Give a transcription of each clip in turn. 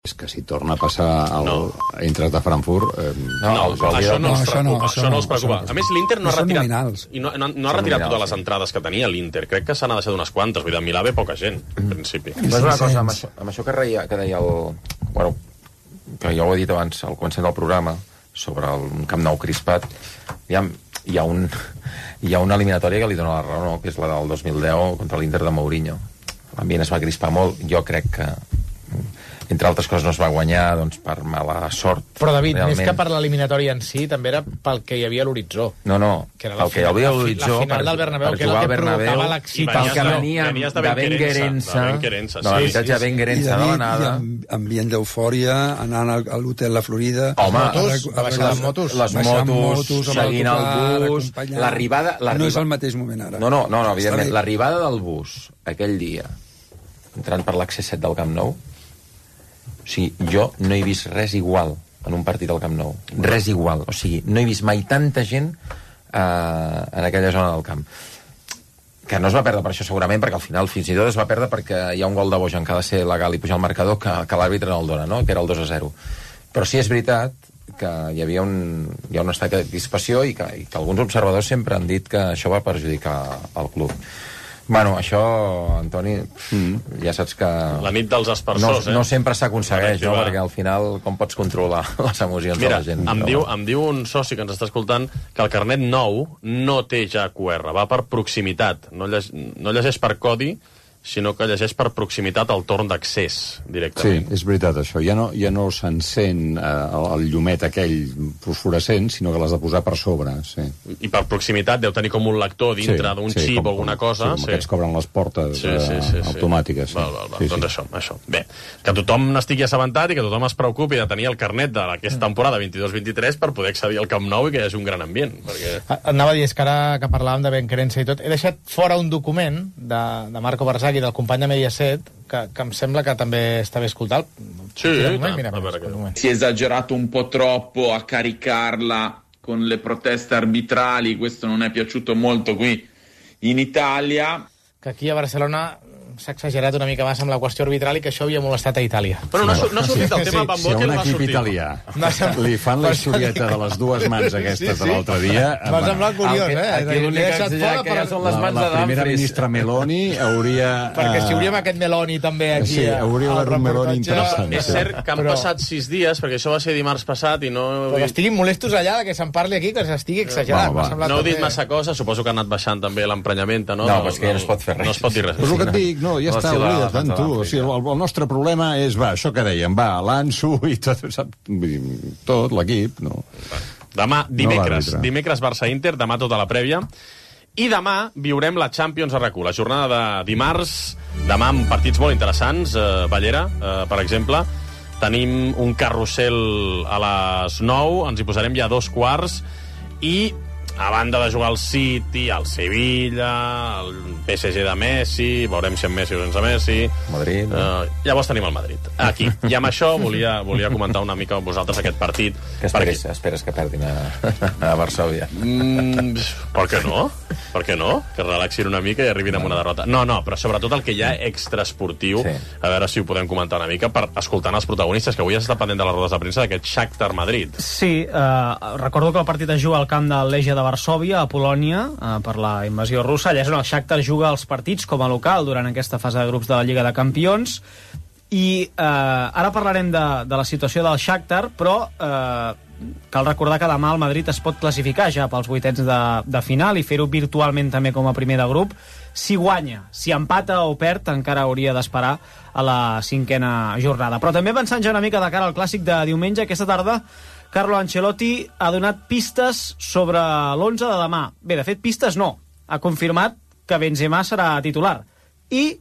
és que si torna a passar Eintracht de Frankfurt... Això no els preocupa. A més, l'Inter no ha retirat... No ha retirat totes les entrades que tenia l'Inter. Crec que s'han deixat unes quantes. Vull dir, a Milà ve poca gent, en principi. Però una cosa, amb això que deia el... Bueno, que ja ho he dit abans al començament del programa, sobre el Camp Nou crispat, hi ha una eliminatòria que li dona la raó, no? Que és la del 2010 contra l'Inter de Mourinho. L'ambient es va crispar molt. Jo crec que, entre altres coses, no es va guanyar doncs, per mala sort. Però, David, realment. més que per l'eliminatòria en si, també era pel que hi havia a l'horitzó. No, el que hi havia a l'horitzó... La final del Bernabéu, que era el que provocava l'excitació. Pel que veníem de Benguerença, de l'habitatge de Benguerença de l'anada... Ambient d'eufòria, anant a l'hotel La Florida... Home, les motos, seguint el bus... L'arribada... No és el mateix moment, ara. No, evidentment. L'arribada del bus, aquell dia, entrant per l'accés 7 del Camp Nou, o sigui, jo no he vist res igual en un partit al Camp Nou. Res igual. O sigui, no he vist mai tanta gent en aquella zona del camp. Que no es va perdre per això, segurament, perquè al final fins i tot es va perdre perquè hi ha un gol de Bojan que ha de ser legal i pujar al marcador que l'àrbitre no el dona, no? Que era el 2-0. Però sí és veritat que hi havia hi ha un estat de crispació i que alguns observadors sempre han dit que això va perjudicar el club. Bueno, això, Antoni, ja saps que... La nit dels aspersors, no sempre s'aconsegueix, no? Perquè al final com pots controlar les emocions de la gent? Mira, em diu un soci que ens està escoltant que el carnet nou no té ja QR, va per proximitat, no llegeix per codi, sinó que llegeix per proximitat el torn d'accés, directament. Sí, és veritat, això. Ja no s'encén el llumet aquell fosforescent, sinó que l'has de posar per sobre, sí. I per proximitat deu tenir com un lector dintre d'un xip o alguna cosa. Sí, com aquests cobren les portes automàtiques. Val. Doncs això. Bé, que tothom n'estigui assabentat i que tothom es preocupi de tenir el carnet d'aquesta temporada 22-23 per poder accedir al Camp Nou i que hi hagi un gran ambient. Anava a dir, és que ara que parlàvem de Benquerença i tot, he deixat fora un document de Marco Barzaghi, del company de Mediaset, que em sembla que també està bé escoltar. Si è esagerato un po' troppo a caricarla con le proteste arbitrali, questo non è piaciuto molto qui in Italia. Que aquí a Barcelona s'ha exagerat una mica més amb la qüestió arbitral i que això havia molestat a Itàlia. Però no ha sortit el tema Van Boekel, no ha sortit. Si a un equip italià li fan la historieta de les dues mans aquestes de l'altre dia... M'ha semblat curiós, Aquí l'únic que haig de dir que ja són les mans de Dumfries. La primera ministra Meloni hauria... Perquè si hauríem aquest Meloni també aquí... Sí, hauria d'haver un Meloni interessant. És cert que han passat 6 dies, perquè això va ser dimarts passat i no... Però estiguin molestos allà que se'n parli aquí, que s'estigui exagerat. No heu dit massa cosa, suposo que ha anat baixant també l'emprenyament, no? No, però és que ja no es pot fer res. No es pot dir res. Però el que et dic, no, ja està, oblida't tant tu. O sigui, el nostre problema és, això que dèiem, l'Ansu i tot, tot l'equip, no. Demà, dimecres Barça-Inter, demà tota la prèvia, i demà viurem la Champions a RAC1, la jornada de dimarts, demà amb partits molt interessants, Ballera, per exemple, tenim un carrusel a les 9, ens hi posarem ja a 2:15, i a banda de jugar al City, al Sevilla, al PSG de Messi, veurem si amb Messi o sense Messi. Madrid. Llavors tenim el Madrid. Aquí. I amb això volia comentar una mica amb vosaltres aquest partit. Que esperes que perdin a Varsòvia. Per què no? Per què no? Que relaxin una mica i arribin amb una derrota. No, però sobretot el que hi ha extraesportiu, a veure si ho podem comentar una mica, per escoltar els protagonistes, que avui has estat pendent de les rodes de premsa d'aquest Shakhtar Madrid. Sí, recordo que el partit es juga al camp del Legia de Varsòvia, a Polònia, per la invasió russa. Allà és on el Shakhtar juga els partits com a local durant aquesta fase de grups de la Lliga de Campions. I ara parlarem de la situació del Shakhtar, però cal recordar que demà el Madrid es pot classificar ja pels vuitens de final i fer-ho virtualment també com a primer de grup. Si guanya, si empata o perd, encara hauria d'esperar a la 5a jornada. Però també pensant ja una mica de cara al clàssic de diumenge, aquesta tarda Carlo Ancelotti ha donat pistes sobre l'11 de demà. Bé, de fet, pistes no. Ha confirmat que Benzema serà titular. I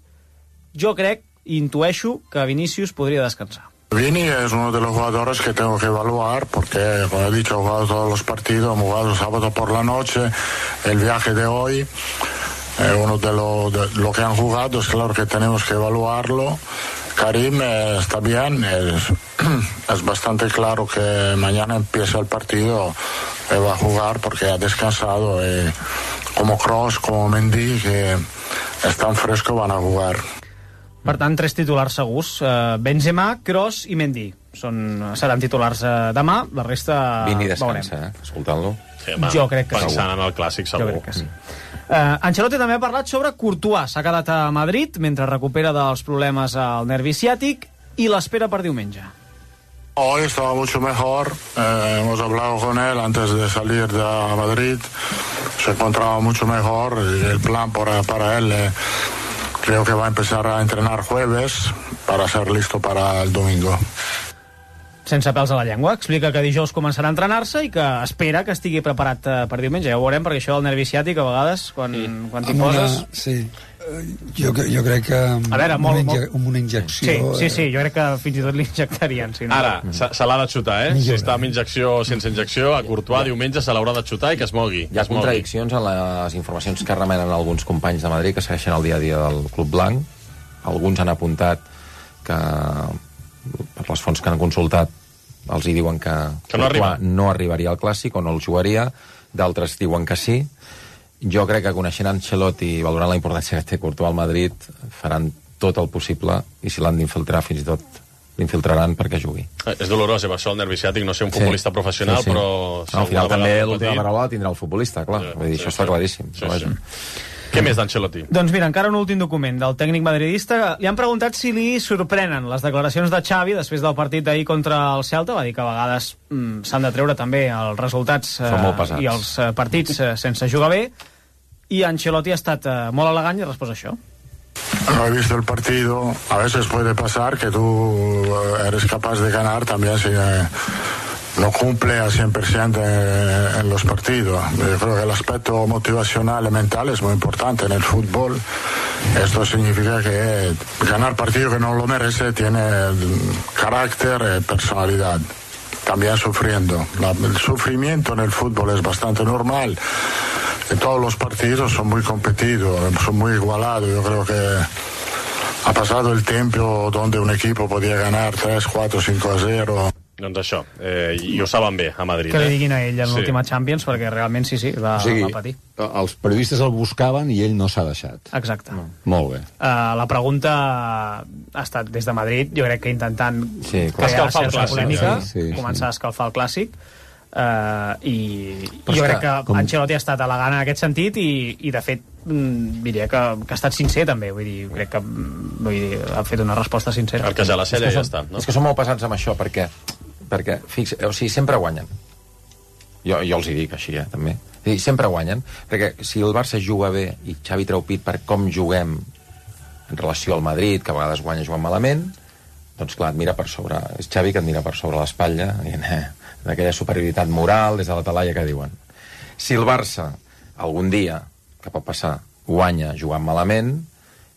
jo crec, intueixo, que Vinícius podria descansar. Vini es uno de los jugadores que tengo que evaluar porque, como he dicho, he jugado todos los partidos, hemos jugado sábado por la noche, el viaje de hoy, uno de lo que han jugado, es claro que tenemos que evaluarlo. Karim está bien, es bastante claro que mañana empieza el partido, va a jugar porque ha descansado, como Kroos, como Mendy, que están frescos, van a jugar. Per tant, 3 titulars segurs. Benzema, Kroos i Mendy. Seran titulars demà, la resta Vini descansa, escoltant-lo. Sí, jo crec que pensant en el clàssic, segur. Jo crec que sí. Ancelotti també ha parlat sobre Courtois. S'ha quedat a Madrid mentre recupera dels problemes al nervi ciàtic i l'espera per diumenge. Hoy estaba mucho mejor, hemos hablado con él antes de salir de Madrid, se encontraba mucho mejor y el plan para él creo que va a empezar a entrenar jueves para ser listo para el domingo. Sense pèls a la llengua, explica que dijous començarà a entrenar-se i que espera que estigui preparat per diumenge. Ja ho veurem, perquè això del nervi ciàtic, a vegades, quan t'hi poses... Sí, jo crec que a veure, amb una injecció... Sí, jo crec que fins i tot l'injectarien. Si no... Ara, se l'ha de xutar, Si està amb injecció o sense injecció, a Courtois diumenge se l'haurà de xutar i que es mogui. Hi ha contradiccions en les informacions que remenen alguns companys de Madrid que segueixen el dia a dia del Club Blanc. Alguns han apuntat que, per les fonts que han consultat, els hi diuen que no arribaria al Clàssic o no el jugaria, d'altres diuen que sí. Jo crec que coneixent Ancelotti i valorant la importància que té Courtois al Madrid, faran tot el possible i si l'han d'infiltrar fins i tot l'infiltraran perquè jugui. És dolorós, això el nervi ciàtic, no ser un futbolista professional, però... Al final també l'última paraula la tindrà el futbolista, clar. Vull dir, això està claríssim. Què més d'Ancelotti? Doncs mira, encara un últim document del tècnic madridista. Li han preguntat si li sorprenen les declaracions de Xavi després del partit d'ahir contra el Celta. Va dir que a vegades s'han de treure també els resultats i els partits sense jugar bé. I Ancelotti ha estat molt elegant i ha respost això. No he visto el partido. A veces puede pasar que tú eres capaz de ganar también si no cumple al 100% en los partidos. Yo creo que el aspecto motivacional y mental es muy importante en el fútbol. Esto significa que ganar partido que no lo merece tiene carácter y personalidad. También sufriendo. El sufrimiento en el fútbol es bastante normal. Todos los partidos son muy competidos, son muy igualados. Yo creo que ha pasado el tiempo donde un equipo podía ganar 3, 4, 5-0. Doncs això, i ho saben bé a Madrid. Que li diguin a ell en l'última Champions, perquè realment sí, va patir. Els periodistes el buscaven i ell no s'ha deixat. Exacte. Molt bé. La pregunta ha estat des de Madrid, jo crec que intentant crear certa polèmica, començar a escalfar el Clàssic, i jo crec que Ancelotti ha estat elegant en aquest sentit i de fet diria que ha estat sincer també, crec que ha fet una resposta sincera. Perquè ja la cella ja està, no? És que som molt pesats amb això perquè sempre guanyen. Jo els hi dic així, també. Sempre guanyen, perquè si el Barça juga bé i Xavi treu pit per com juguem en relació al Madrid, que a vegades guanya jugant malament, doncs clar, et mira per sobre, és Xavi que et mira per sobre l'espatlla, d'aquella superioritat moral des de la talaia que diuen. Si el Barça algun dia, que pot passar, guanya jugant malament,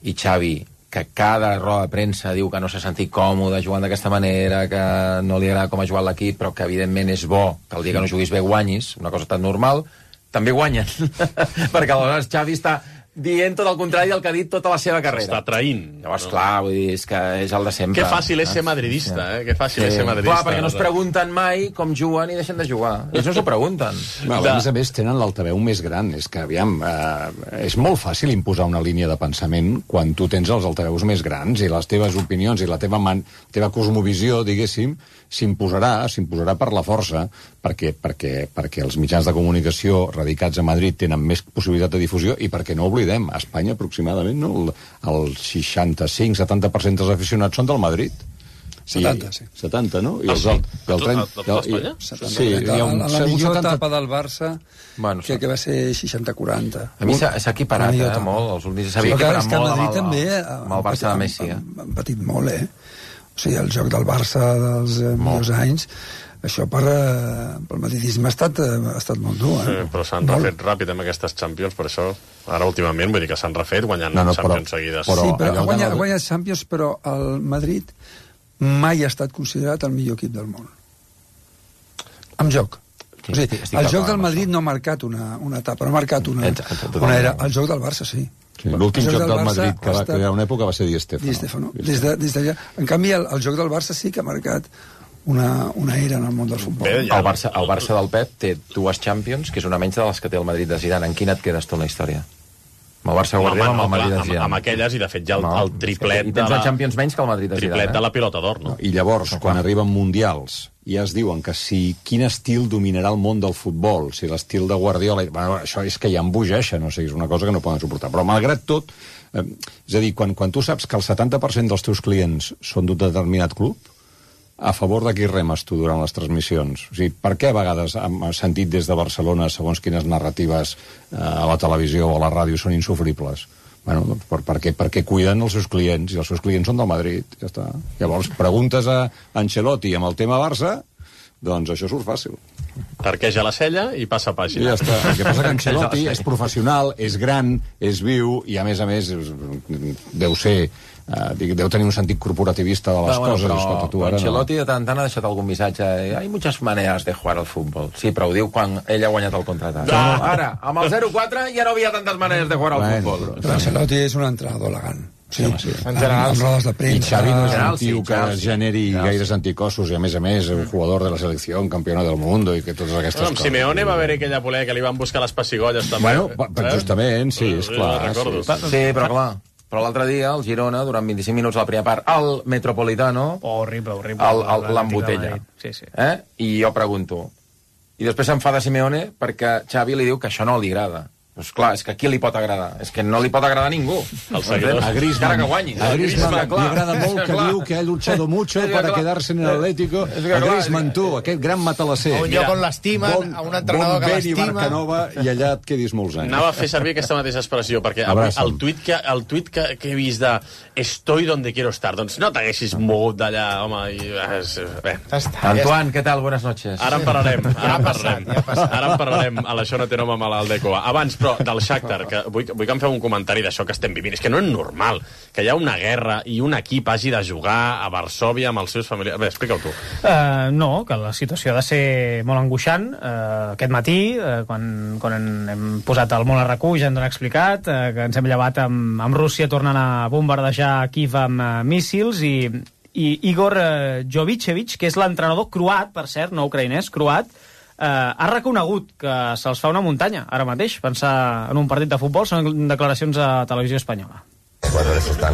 i Xavi, que cada roda de premsa diu que no s'ha sentit còmode jugant d'aquesta manera, que no li agrada com ha jugat l'equip, però que evidentment és bo que el dia que no juguis bé guanyis, una cosa tan normal, també guanyen. Perquè aleshores Xavi està dient tot el contrari del que ha dit tota la seva carrera. S'està traint. Llavors, clar, vull dir, és que és el de sempre. Que fàcil és ser madridista, Que fàcil és ser madridista. Clar, perquè no es pregunten mai com juguen i deixen de jugar. Ells no s'ho pregunten. A més tenen l'altaveu més gran. És que, aviam, és molt fàcil imposar una línia de pensament quan tu tens els altaveus més grans i les teves opinions i la teva cosmovisió, diguéssim, s'imposarà per la força, perquè els mitjans de comunicació radicats a Madrid tenen més possibilitat de difusió i perquè no oblidem, a Espanya aproximadament el 65-70% dels aficionats són del Madrid. 70, sí. 70, no? I tot Espanya? Sí, la millor etapa del Barça que va ser 60-40. A mi s'ha equiparat molt, els últims s'havia equiparat molt amb el Barça de Messi. Han patit molt, O sigui, el joc del Barça dels millors anys, això pel madridisme ha estat molt dur. Sí, però s'han refet ràpid amb aquestes Champions, per això, ara últimament, vull dir que s'han refet guanyant Champions seguides. Sí, però ha guanyat Champions, però el Madrid mai ha estat considerat el millor equip del món. Amb joc. O sigui, el joc del Madrid no ha marcat una etapa, no ha marcat una era. El joc del Barça, sí. L'últim joc del Madrid que va crear una època va ser Di Stéfano. Des d'allà. En canvi, el joc del Barça sí que ha marcat una era en el món del futbol. El Barça del Pep té 2 Champions, que és una menys de les que té el Madrid de Zidane. En quina et quedes tu en la història? Amb el Barça guardem, amb el Madrid de Zidane. Amb aquelles, i de fet ja el triplet I tens una Champions menys que el Madrid de Zidane. Triplet de la pilota d'or, no? I llavors, quan arriben mundials, ja es diuen que quin estil dominarà el món del futbol, si l'estil de Guardiola... Bueno, això és que ja embogeixen, o sigui, és una cosa que no poden suportar. Però, malgrat tot, és a dir, quan tu saps que el 70% dels teus clients són d'un determinat club, a favor de qui remes tu durant les transmissions? O sigui, per què a vegades hem sentit des de Barcelona segons quines narratives a la televisió o a la ràdio són insofribles? Bueno, doncs perquè cuiden els seus clients, i els seus clients són del Madrid, ja està. Llavors, preguntes a Ancelotti amb el tema Barça, doncs això surt fàcil. Tarqueja la cella i passa pàgina. I ja està. El que passa que Ancelotti és professional, és gran, és viu, i a més, deu ser... deu tenir un sentit corporativista de les coses. Escolta, tu ara Ancelotti de tant en tant ha deixat algun missatge. Hay muchas maneras de jugar al futbol. Sí, però ho diu quan ell ha guanyat el contratat. Ara, amb el 0-4 ja no havia tantes maneres de jugar al futbol. Però Ancelotti és un entrenador elegant. Sí, en general, amb rodes de premsa. I Xavi no és un tio que generi gaires anticossos, i a més, un jugador de la selecció, un campió del món, i que totes aquestes coses. Amb Simeone va haver aquella polèmica que li van buscar les pessigolles, també. Bueno, justament, sí, és clar. Sí, però clar. Però l'altre dia, el Girona, durant 25 minuts a la primera part, el Metropolitano... Horrible. L'embotella. Sí. I jo pregunto... I després s'enfada Simeone perquè Xavi li diu que això no li agrada. Doncs clar, és que a qui li pot agradar? És que no li pot agradar a ningú. A Griezmann li agrada molt que diu que ha luchado mucho para quedarse en el Atlético. A Griezmann, tu, aquest gran matalasser. A un lloc on l'estimen, a un entrenador que l'estima. Barcanova, i allà et quedis molts anys. Anava a fer servir aquesta mateixa expressió, perquè el tuit que he vist de estoy donde quiero estar, doncs no t'haguessis mogut d'allà, home, i... Antoine, què tal? Buenas noches. Ara en parlarem. Ara en parlarem. A l'això no té nom amb l'Aldecoa. Abans, però del Shakhtar, que vull que em feu un comentari d'això que estem vivint. És que no és normal que hi ha una guerra i un equip hagi de jugar a Varsòvia amb els seus familiars. Bé, explica-ho tu. No, que la situació ha de ser molt angoixant. Aquest matí, quan hem posat el món a RAC1, ja ens han explicat que ens hem llevat amb Rússia tornant a bombardejar Kíev amb míssils, i Igor Jovicevic, que és l'entrenador croat, per cert, no ucraïnès, croat, ha reconegut que se'ls fa una muntanya ara mateix, pensar en un partit de futbol. Són declaracions a Televisió Espanyola. Los jugadores están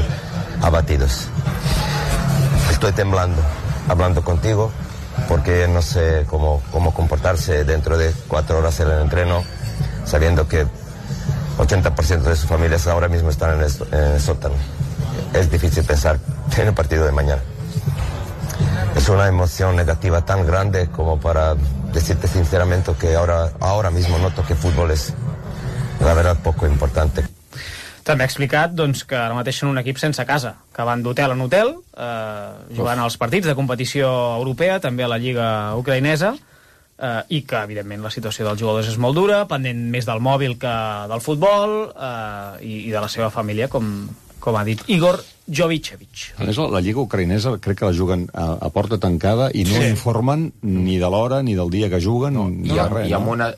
abatidos. Estoy temblando, hablando contigo, porque no sé cómo comportarse dentro de 4 horas en el entreno, sabiendo que 80% de sus familias ahora mismo están en el sótano. Es difícil pensar en el partido de mañana. Es una emoción negativa tan grande como para decirte sinceramente que ahora mismo noto que fútbol es, la verdad, poco importante. També ha explicat doncs, que ara mateix són un equip sense casa, que van d'hotel en hotel, jugant als partits de competició europea, també a la Lliga ucraïnesa, i que, evidentment, la situació dels jugadors és molt dura, pendent més del mòbil que del futbol, i de la seva família, com ha dit Igor Jovicevic. A més, la Lliga ucraïnesa crec que la juguen a porta tancada i no informen ni de l'hora ni del dia que juguen, ni de res.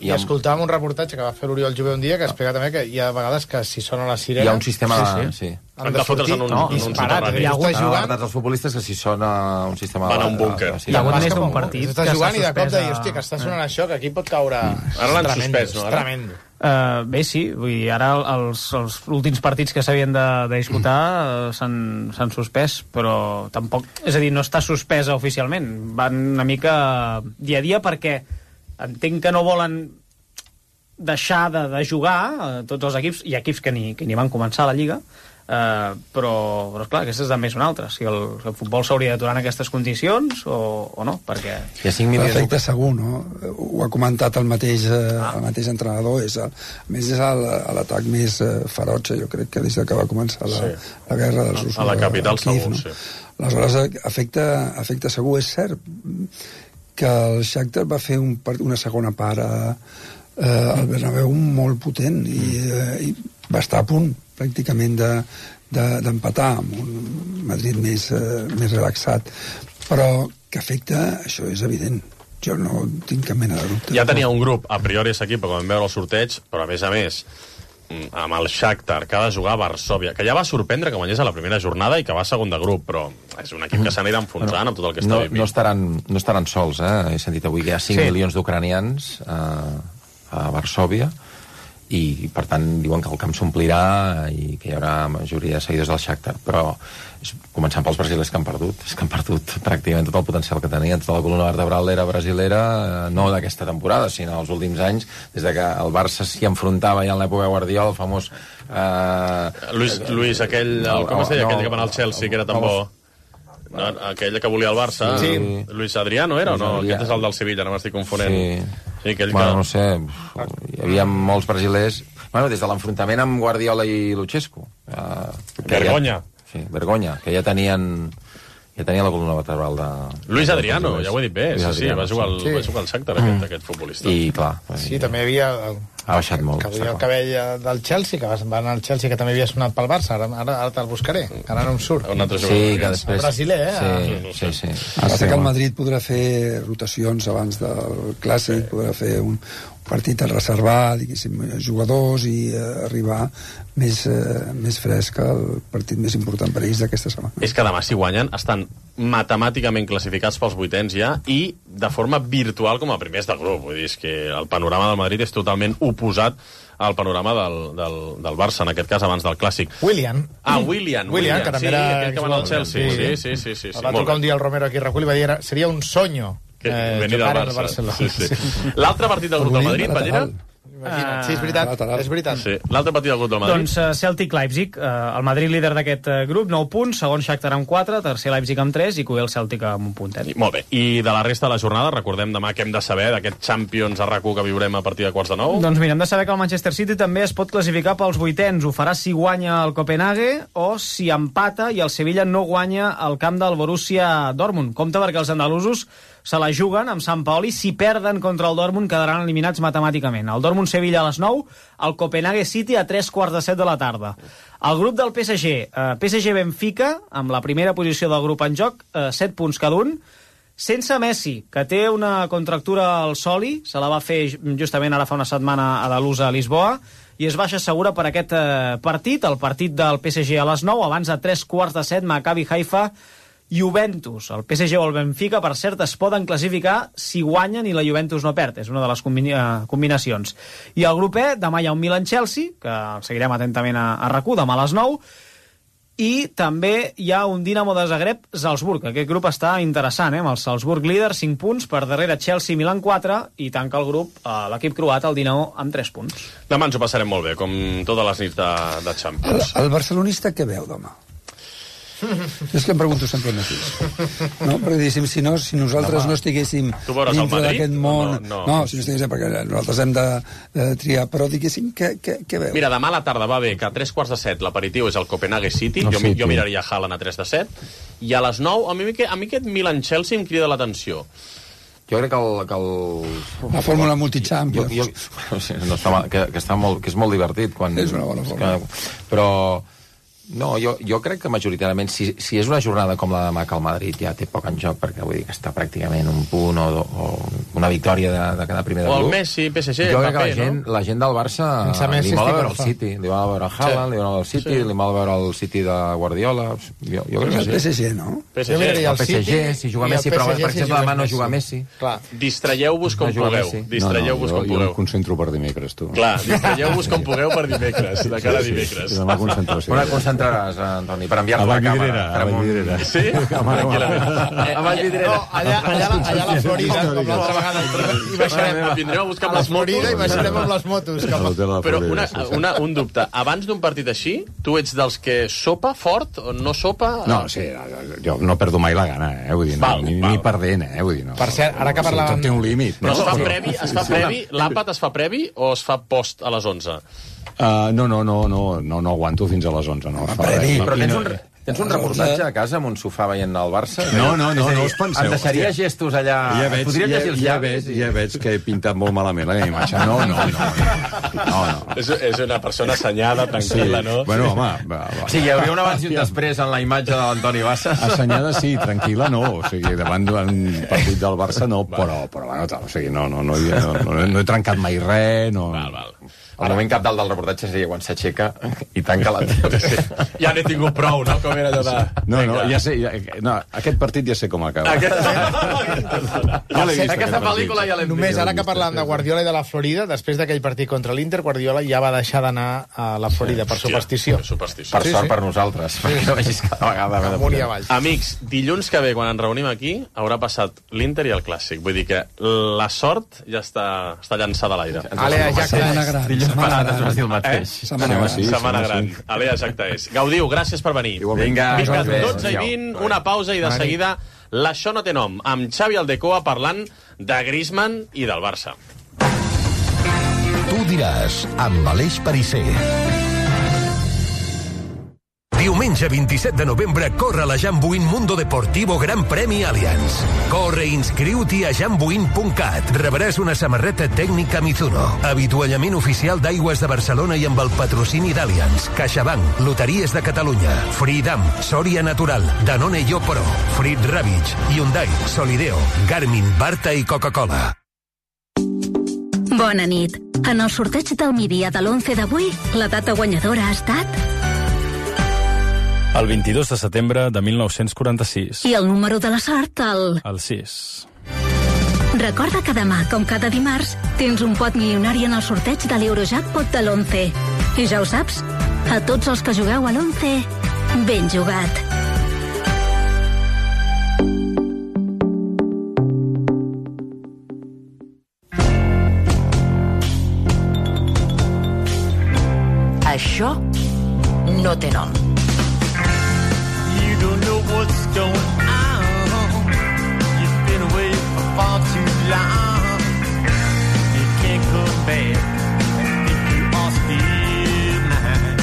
I escoltàvem un reportatge que va fer l'Oriol Jové un dia que explica també que hi ha vegades que si sona la sirena... Hi ha un sistema de... Han de fotre's en un soterrani. Hi ha hagut els futbolistes que si sona un sistema... Van a un búnquer. Hi ha hagut més d'un partit. Estàs jugant i de cop de dir, hòstia, que està sonant això, que aquí pot caure... Ara l'han suspès, no? Tremendo. Bé, sí, vull dir, ara els últims partits que s'havien de disputar s'han suspès, però tampoc, és a dir, no està suspesa oficialment, van una mica dia a dia, perquè entenc que no volen deixar de jugar tots els equips, hi ha equips que ni van començar la Lliga, però esclar, aquesta és també una altra, si el futbol s'hauria d'aturar en aquestes condicions o no, perquè... L'efecte segur, no? Ho ha comentat el mateix entrenador, a més és l'atac més ferotge, jo crec que des que va començar la guerra dels russos a la capital segur, no? Sí. Aleshores afecta segur. És cert que el Shakhtar va fer una segona part al Bernabéu molt potent i va estar a punt pràcticament d'empatar amb un Madrid més relaxat, però que afecta, això és evident, jo no tinc cap mena de dubte. Ja tenia un grup a priori aquest equip, quan vam veure el sorteig, però a més amb el Shakhtar, que ha de jugar a Varsòvia, que ja va sorprendre que guanyés a la primera jornada i que va segon de grup, però és un equip que s'anirà enfonsant amb tot el que està vivint. No estaran sols, He sentit avui que hi ha 5 milions d'ucranians a Varsòvia, i per tant diuen que el camp s'omplirà i que hi haurà majoria de seguidors del Shakhtar, però començant pels brasilers que han perdut, és que han perdut pràcticament tot el potencial que tenien, tota la columna vertebral era brasilera, no d'aquesta temporada sinó dels últims anys, des de que el Barça s'hi enfrontava ja en l'època Guardiola, el famós Luis, aquell, com es deia aquell que va anar al Chelsea, que era tan bo? Aquell que volia el Barça, Luis Adriano era o no? Aquest és el del Sevilla, no m'estic confonent. Sí, no sé, hi havia molts brasilers, des de l'enfrontament amb Guardiola i Luchescu. Vergonya. Sí, vergonya, que ja tenien la columna vertebral de... Luis Adriano, ja ho he dit bé, sí, va jugar al Shakhtar aquest futbolista. I clar... Sí, també hi havia... Ha baixat molt. Que havia el cabell del Chelsea, que va anar al Chelsea, que també havia sonat pel Barça, ara te'l buscaré, que ara no em surt. Un altre jugador. Sí, que després... El brasiler, Sí. Ara que el Madrid podrà fer rotacions abans del Clàssic, podrà fer un partit a reservar, diguéssim, jugadors i arribar més fresc al partit més important per ells d'aquesta setmana. És que demà, si guanyen, estan matemàticament classificats pels vuitens ja i de forma virtual com a primers del grup. Vull dir, és que el panorama del Madrid és totalment oposat al panorama del Barça, en aquest cas, abans del Clàssic. William, que també era... aquell que va anar al Chelsea. Sí. Va trucar un dia el Romero aquí a recull i va dir seria un sonyo venir del Barça. Sí. L'altre partit del grup del Madrid, Ballera? Sí, és veritat. Sí. L'altre partit del grup del Madrid? Doncs Celtic-Leipzig, el Madrid líder d'aquest grup, 9 punts, segon Shakhtar amb 4, tercer Leipzig amb 3 i cué el Celtic amb un puntet. Molt bé. I de la resta de la jornada, recordem demà què hem de saber d'aquest Champions a RAC1 que viurem a partir de 8:45? Doncs mira, hem de saber que el Manchester City també es pot classificar pels vuitens. Ho farà si guanya el Copenhague o si empata i el Sevilla no guanya al camp del Borussia Dortmund. Compte perquè els andalusos se la juguen amb Sant Paoli. Si perden contra el Dortmund quedaran eliminats matemàticament. El Dortmund-Sevilla a les 9, el Copenhague City a 3:15 de la tarda. El grup del PSG, PSG-Benfica, amb la primera posició del grup en joc, 7 punts cada un, sense Messi, que té una contractura al soli, se la va fer justament ara fa una setmana a Dalusa, a Lisboa, i es baixa segura per aquest partit, el partit del PSG a les 9, abans de 3:15, Maccabi Haifa, Juventus. El PSG o el Benfica, per cert, es poden classificar si guanyen i la Juventus no perd. És una de les combinacions. I el grup E, demà hi ha un Milan-Chelsea, que seguirem atentament a RAC1, demà a les 9, i també hi ha un Dinamo de Zagreb-Salzburg. Aquest grup està interessant, amb el Salzburg líder, 5 punts, per darrere Chelsea, Milan 4, i tanca el grup l'equip croat, el Dinamo, amb 3 punts. Demà ens ho passarem molt bé, com totes les nits de Champions. El barcelonista què veu demà? És que em pregunto sempre el mateix. No? Perquè si nosaltres no estiguéssim dintre d'aquest món... No, si no estiguéssim, perquè nosaltres hem de triar, però diguéssim, què veu? Mira, demà a la tarda va bé que a 3:15 l'aperitiu és el Copenhague City, jo miraria Haaland a 3:7, i a les 9, a mi aquest Milan-Chelsea em crida l'atenció. Jo crec que la fórmula multichampions. Que és molt divertit. És una bona fórmula. Però... No, jo crec que majoritàriament, si és una jornada com la de demà que el Madrid ja té poc en joc, perquè vull dir que està pràcticament un punt o una victòria de cada primer del grup. O el Messi, PSG, jo crec que la gent del Barça li mola veure el City, li mola veure el Haaland, li mola el City, li mola veure el City de Guardiola. Jo crec que el PSG, no? El PSG, si juga Messi, però per exemple demà no juga Messi. Distraieu-vos com pugueu. Jo em concentro per dimecres, tu. Clar, distraieu-vos com pugueu per dimecres, de cara a dimecres. Demà concentració. Entraràs, Antoni, per enviar-te la càmera. A Vallvidrera. Sí? A Vallvidrera. No, allà a la Florida, com l'altra vegada. Vindrem a buscar amb les motos. I baixarem amb les motos. Però un dubte. Abans d'un partit així, tu ets dels que sopa fort o no sopa? No, sí, jo no perdo mai la gana, vull dir, ni perdent, vull dir, no. Per cert, ara que parlàvem... Tot té un límit. Però es fa previ, l'àpat es fa previ o es fa post a les 11? No aguanto fins a les 11, no. Però tens un reportatge a casa amb un sofà veient el Barça? No us penseu. Em deixaria gestos allà... Ja veig que he pintat molt malament la meva imatge. No. És una persona assenyada, tranquil·la, no? Bueno, home... Sí, hi hauria un abans i un després en la imatge de l'Antoni Bassas. Assenyada sí, tranquil·la no. O sigui, davant d'un partit del Barça no, però bueno, o sigui, no he trencat mai res, no... Val. El moment cap dalt del reportatge seria quan s'aixeca i tanca la tele. Ja n'he tingut prou, no? Com era allò de... No, ja sé... No, aquest partit ja sé com acaba. Aquesta pel·lícula ja l'hem vist. Només ara que parlàvem de Guardiola i de la Florida, després d'aquell partit contra l'Inter, Guardiola ja va deixar d'anar a la Florida per superstició. Per sort per nosaltres, perquè no vegis cada vegada... Amunt i avall. Amics, dilluns que ve, quan ens reunim aquí, haurà passat l'Inter i el Clàssic. Vull dir que la sort ja està llançada a l'aire. Setmana gran. Dilluns passat es va dir el mateix. Setmana gran. Alea, exacte és. Gaudiu, gràcies per venir. Vinga, 12 i 20, una pausa i de seguida l'Això no té nom, amb Xavi Aldecoa parlant de Griezmann i del Barça. Tu diràs, amb Aleix Perisser. Diumenge 27 de novembre corre la Jambuin Mundo Deportivo Gran Premi Allianz. Corre i inscriu-t'hi a jambuin.cat. Rebràs una samarreta tècnica Mizuno, avituallament oficial d'Aigües de Barcelona i amb el patrocini d'Allianz, CaixaBank, Loteries de Catalunya, Freedom, Soria Natural, Danone Yo Pro, Frit Ravitch, Hyundai, Solideo, Garmin, Barta i Coca-Cola. Bona nit. En el sorteig del migdia de l'11 d'avui, la data guanyadora ha estat... El 22 de setembre de 1946. I el número de la sort, El 6. Recorda que demà, com cada dimarts, tens un pot milionari en el sorteig de l'Eurojackpot de l'11. I ja ho saps, a tots els que jugueu a l'11, ben jugat. Això no té nom. Don't know what's going on. You've been away for far too long. You can't come back if you are still mine.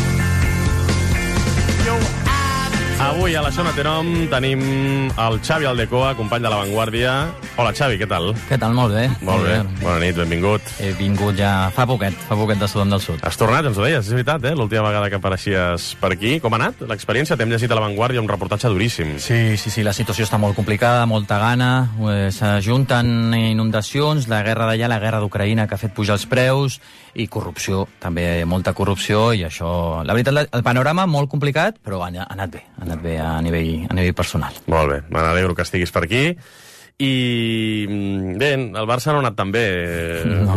Avui a l'Això no té nom tenim el Xavi Aldecoa, company de La Vanguardia. Hola, Xavi, què tal? Què tal? Molt bé. Molt bé. Bona nit, benvingut. He vingut ja fa poquet de Sudam del Sud. Has tornat, ens ho deies, és veritat, l'última vegada que apareixies per aquí. Com ha anat l'experiència? T'hem llegit a La Vanguardia un reportatge duríssim. Sí, la situació està molt complicada, molta gana, s'ajunten inundacions, la guerra d'allà, la guerra d'Ucraïna, que ha fet pujar els preus, i corrupció, també molta corrupció, i això... La veritat, el panorama molt complicat, però ha anat bé a nivell personal. Molt bé, me n'alegro que estiguis per aquí. I bé, el Barça no ha anat tan bé. No.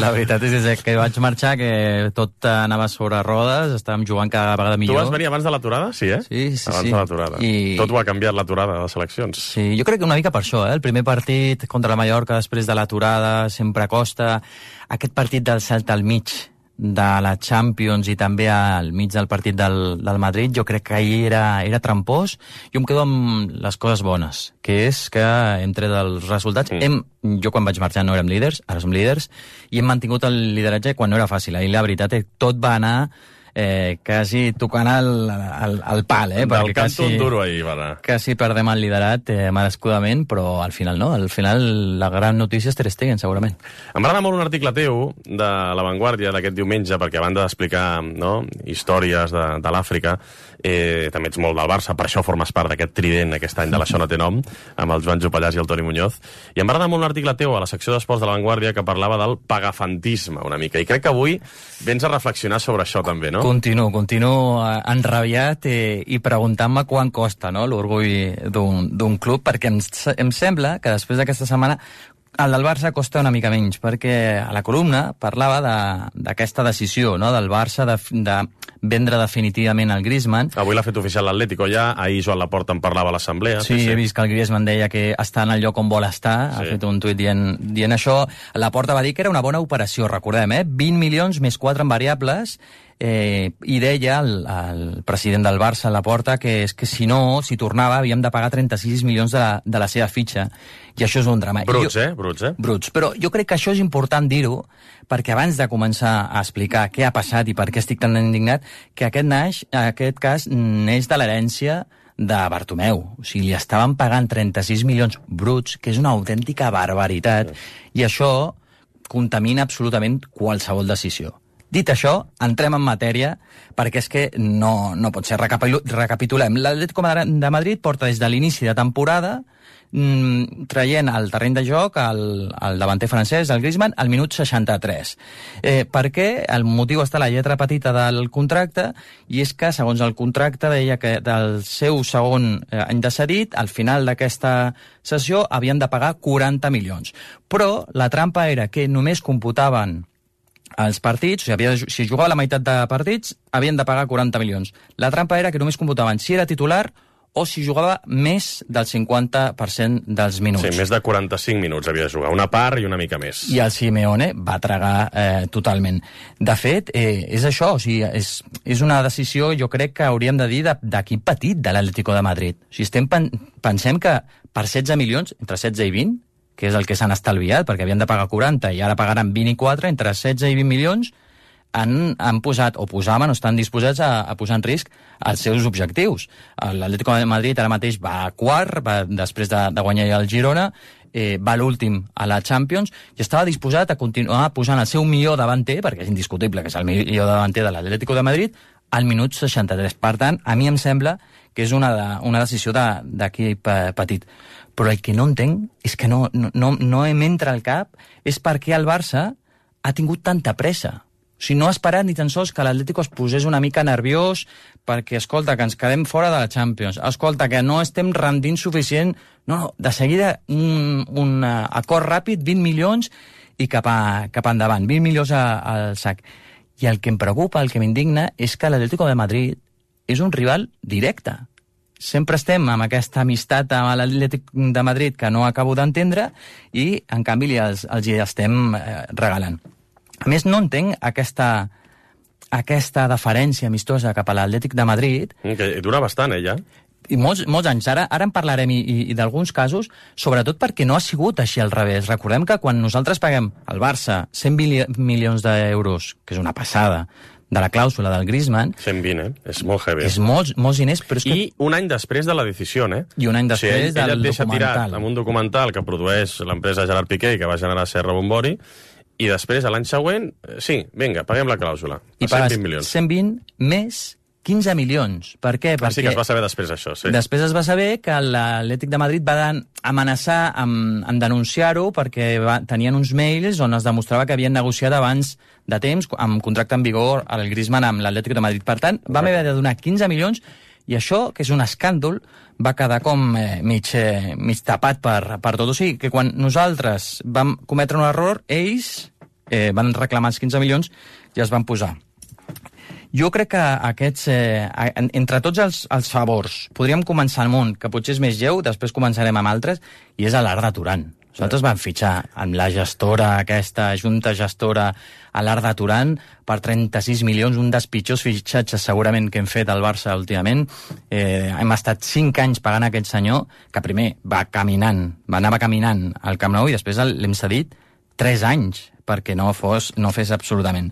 La veritat és que vaig marxar, que tot anava sobre rodes, estàvem jugant cada vegada millor. Tu vas venir abans de l'aturada? Sí, eh? Sí. Abans de l'aturada. Tot ho ha canviat l'aturada de les eleccions. Sí, jo crec que una mica per això, El primer partit contra la Mallorca després de l'aturada sempre costa. Aquest partit del Celta al mig de la Champions i també al mig del partit del Madrid, jo crec que ahir era trampós. Jo em quedo amb les coses bones, que és que hem tret els resultats. Jo quan vaig marxar no érem líders, ara som líders, i hem mantingut el lideratge quan no era fàcil. Ahir la veritat és que tot va anar quasi tocant el pal, Del canto duro ahir, va anar. Quasi perdem el liderat merescudament, però al final no. Al final la gran notícia és Ter Stegen, segurament. Em va agradar molt un article teu de La Vanguardia d'aquest diumenge, perquè a banda d'explicar històries de l'Àfrica, també ets molt del Barça, per això formes part d'aquest trident aquest any de l'Això no té nom, amb el Joan Jopallàs i el Toni Muñoz. I em va agradar molt un article teu a la secció d'esports de La Vanguardia que parlava del pagafantisme una mica, i crec que avui vens a reflexionar sobre això també, no? Continuo enrabiat i preguntant-me quant costa l'orgull d'un club, perquè em sembla que després d'aquesta setmana el del Barça costa una mica menys, perquè a la columna parlava d'aquesta decisió del Barça de vendre definitivament el Griezmann. Avui l'ha fet oficial l'Atlético ja, ahir Joan Laporta en parlava a l'assemblea. Sí, he vist que el Griezmann deia que està en el lloc on vol estar, ha fet un tuit dient això. Laporta va dir que era una bona operació, recordem, 20 milions més 4 en variables, i deia el president del Barça, Laporta, que és que si tornava havíem de pagar 36 milions de la seva fitxa, i això és un drama. Bruts. Bruts, però jo crec que això és important dir-ho, perquè abans de començar a explicar què ha passat i per què estic tan indignat, que aquest cas neix de l'herència de Bartomeu. O sigui, li estaven pagant 36 milions bruts, que és una autèntica barbaritat, i això contamina absolutament qualsevol decisió. Dit això, entrem en matèria, perquè és que no pot ser. Recapitulem. L'Atlético de Madrid porta des de l'inici de temporada traient al terreny de joc el davanter francès, el Griezmann, al minut 63. Perquè el motiu està a la lletra petita del contracte, i és que, segons el contracte, deia que del seu segon any de cedit, al final d'aquesta sessió, havien de pagar 40 milions. Però la trampa era que només computaven els partits, o sigui, si jugava la meitat de partits, havien de pagar 40 milions. La trampa era que només computaven si era titular o si jugava més del 50% dels minuts. Sí, més de 45 minuts havia de jugar, una part i una mica més. I el Simeone va tragar totalment. De fet, és això, o sigui, és una decisió, jo crec que hauríem de dir, d'equip petit de l'Atlético de Madrid. O sigui, pensem que per 16 milions, entre 16 i 20, que és el que s'han estalviat, perquè havien de pagar 40 i ara pagaran 24, entre 16 i 20 milions, han posat, o posaven, o estan disposats a posar en risc els seus objectius. L'Atlético de Madrid ara mateix va quart, després de guanyar el Girona, va l'últim a la Champions, i estava disposat a continuar posant el seu millor davanter, perquè és indiscutible que és el millor davanter de l'Atlético de Madrid, al minut 63. Per tant, a mi em sembla que és una decisió d'equip petit. Però el que no entenc és que no m'entra al cap és per què el Barça ha tingut tanta pressa. O sigui, no ha esperat ni tan sols que l'Atlético es posés una mica nerviós perquè, escolta, que ens quedem fora de la Champions, escolta, que no estem rendint suficient. No, de seguida un acord ràpid, 20 milions i cap endavant, 20 milions al sac. I el que em preocupa, el que m'indigna, és que l'Atlético de Madrid és un rival directe. Sempre estem amb aquesta amistat amb l'Atlètic de Madrid que no acabo d'entendre i, en canvi, els hi estem regalant. A més, no entenc aquesta deferència amistosa cap a l'Atlètic de Madrid. Que dura bastant, ja. I molts anys. Ara en parlarem i d'alguns casos, sobretot perquè no ha sigut així al revés. Recordem que quan nosaltres paguem al Barça 100 milions d'euros, que és una passada, de la clàusula del Griezmann... 120, És molt heavy. És molts diners, però és que... I un any després de la decisió, I un any després del documental. Ell et deixa tirat amb un documental que produeix l'empresa Gerard Piqué i que va generar Serra Bombori, i després, l'any següent, sí, vinga, paguem la clàusula. I pagues 120 milions. 120 més 15 milions. Per què? Perquè sí que es va saber després, això, sí. Després es va saber que l'Atlètic de Madrid va amenaçar amb denunciar-ho perquè tenien uns mails on es demostrava que havien negociat abans de temps, amb contracte en vigor, el Griezmann amb l'Atlètic de Madrid. Per tant, vam haver de donar 15 milions i això, que és un escàndol, va quedar com mig tapat per tot. O sigui, que quan nosaltres vam cometre un error, ells van reclamar els 15 milions i es van posar. Jo crec que aquests, entre tots els favors, podríem començar el munt, que potser és més lleu, després començarem amb altres, i és l'Arda Turan. Nosaltres vam fitxar amb la gestora, aquesta junta gestora, a l'Arda Turan per 36 milions, un dels pitjors fitxatges segurament que hem fet al Barça últimament. Hem estat 5 anys pagant aquest senyor, que primer anava caminant al Camp Nou i després l'hem cedit 3 anys perquè no fes absolutament.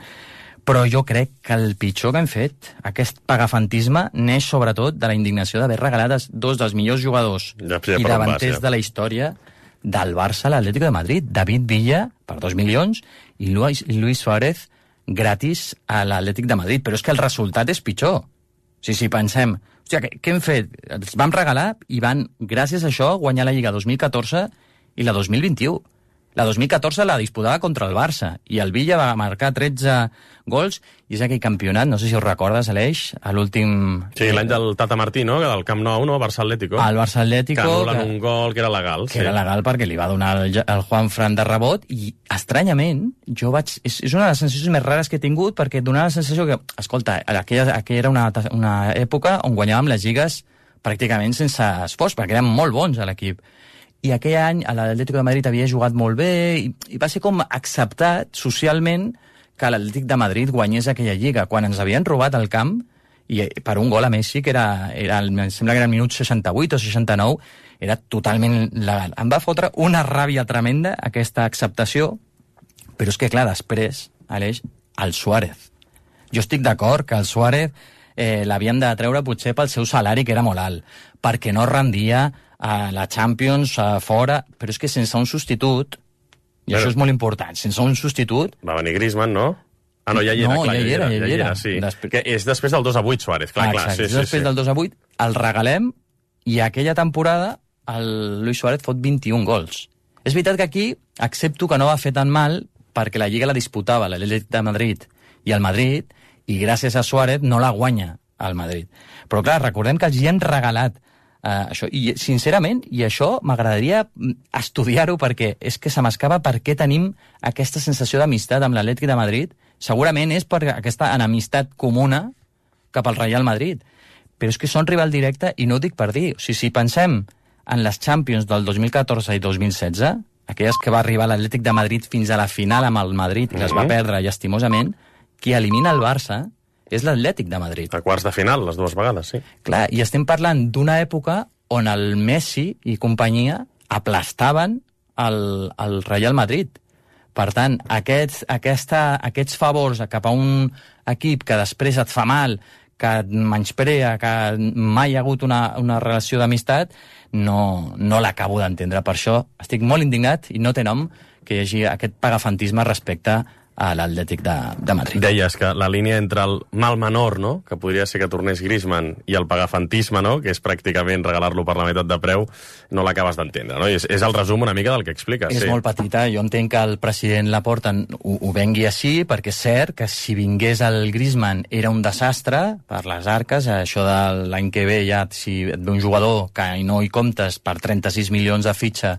Però jo crec que el pitjor que hem fet, aquest pagafantisme, neix sobretot de la indignació d'haver regalat dos dels millors jugadors i davanters de la història del Barça a l'Atlético de Madrid. David Villa, per 2 milions, i Luis Suárez, gratis a l'Atlètic de Madrid. Però és que el resultat és pitjor. Si pensem, hòstia, què hem fet? Els vam regalar i van, gràcies a això, guanyar la Lliga 2014 i la 2021. La 2014 la disputava contra el Barça i el Villa va marcar 13 gols i és aquell campionat, no sé si us recordes, Aleix, a l'últim... Sí, l'any del Tata Martí, no? Del Camp Nou, no? Barça-Atlético. El Barça-Atlético... Que anulen un gol que era legal. Que era legal perquè li va donar el Juanfran de rebot i, estranyament, és una de les sensacions més rares que he tingut perquè et donava la sensació que, escolta, aquella era una època on guanyàvem les lligues pràcticament sense esforç, perquè eren molt bons a l'equip. I aquell any l'Atlético de Madrid havia jugat molt bé i va ser com acceptat socialment que l'Atlètic de Madrid guanyés aquella lliga, quan ens havien robat el camp i per un gol a Messi, que em sembla que era el minut 68 o 69, era totalment legal. Em va fotre una ràbia tremenda aquesta acceptació, però és que, clar, després, Aleix, el Suárez. Jo estic d'acord que el Suárez l'havien de treure potser pel seu salari, que era molt alt, perquè no rendia a la Champions, fora, però és que sense un substitut, i això és molt important, sense un substitut... Va venir Griezmann, no? Ah, no, ja hi era, clar, ja hi era, sí. Que és després del 2-8, Suárez, clar. Després del 2-8, el regalem, i aquella temporada el Luis Suárez fot 21 gols. És veritat que aquí accepto que no va fer tan mal perquè la Lliga la disputava l'Atlètic de Madrid i el Madrid, i gràcies a Suárez no la guanya el Madrid. Però clar, recordem que els hi han regalat això, i sincerament, i això m'agradaria estudiar-ho perquè és que se m'escapa per què tenim aquesta sensació d'amistat amb l'Atlètic de Madrid. Segurament és per aquesta enemistat comuna cap al Real Madrid. Però és que són rival directe i no ho dic per dir. O sigui, si pensem en les Champions del 2014 i 2016, aquelles que va arribar l'Atlètic de Madrid fins a la final amb el Madrid i les va perdre llastimosament, qui elimina el Barça és l'Atlètic de Madrid. A quarts de final, les dues vegades, sí. Clar, i estem parlant d'una època on el Messi i companyia aplastaven el Real Madrid. Per tant, aquests favors cap a un equip que després et fa mal, que et menysprea, que mai hi ha hagut una relació d'amistat, no l'acabo d'entendre. Per això estic molt indignat i no té nom que hi hagi aquest pagafantisme respecte a l'Atlètic de Madrid. Deies que la línia entre el mal menor, no?, que podria ser que tornés Griezmann, i el pagafantisme, no?, que és pràcticament regalar-lo per la meitat de preu, no l'acabes d'entendre, no? És el resum una mica del que expliques. És molt petita. Jo entenc que el president Laporta ho vengui així, perquè és cert que si vingués el Griezmann era un desastre per les arques. Això de l'any que ve, ja, si et ve un jugador que no hi comptes per 36 milions de fitxa,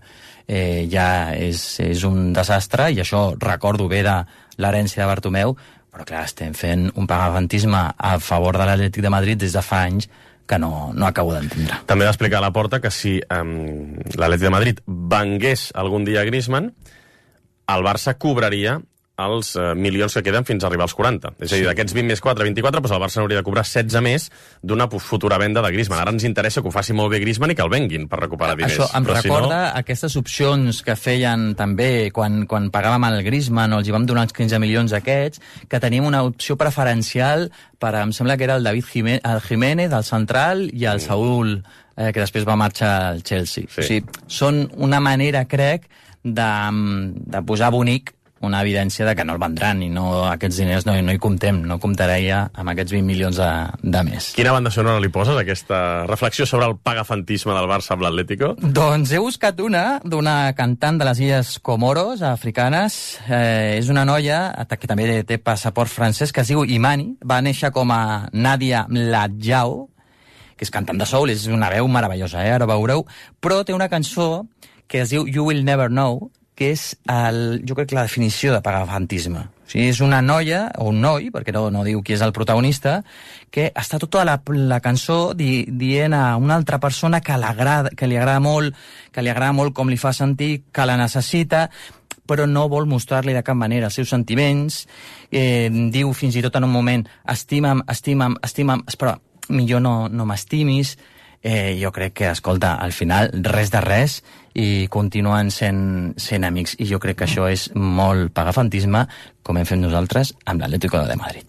ja és un desastre, i això recordo bé de l'herència de Bartomeu, però clar, estem fent un pagafantisme a favor de l'Atlètic de Madrid des de fa anys que no acabo d'entendre. També va explicar a Laporta que si l'Atlètic de Madrid vengués algun dia a Griezmann, el Barça cobraria els milions que queden fins a arribar als 40. És a dir, d'aquests 20 més 4, 24, doncs el Barça hauria de cobrar 16 més d'una futura venda de Griezmann. Ara ens interessa que ho faci molt bé Griezmann i que el venguin per recuperar diners. Això em recorda aquestes opcions que feien també quan pagàvem el Griezmann o els hi vam donar els 15 milions aquests, que teníem una opció preferencial per, em sembla que era el David Jiménez, el central, i el Saúl, que després va marxar al Chelsea. Sí. O sigui, són una manera, crec, de posar bonic una evidència de que no el vendran i aquests diners no hi comptem, no comptaria amb aquests 20 milions de més. Quina banda sonora li poses, aquesta reflexió sobre el pagafantisme del Barça amb l'Atlético? Doncs he buscat d'una cantant de les Illes Comoros, africanes. És una noia que també té passaport francès, que es diu Imani. Va néixer com a Nadia Mladjao, que és cantant de soul, és una veu meravellosa, ara veureu, però té una cançó que es diu You Will Never Know, que és, jo crec, la definició de pagafantisme. O sigui, és una noia, o un noi, perquè no diu qui és el protagonista, que està tota la cançó dient a una altra persona que li agrada molt com li fa sentir, que la necessita, però no vol mostrar-li de cap manera els seus sentiments. Diu fins i tot en un moment, estima'm, però millor no m'estimis. Jo crec que, escolta, al final res de res i continuen sent amics, i jo crec que això és molt pagafantisme, com hem fet nosaltres amb l'Atlético de Madrid.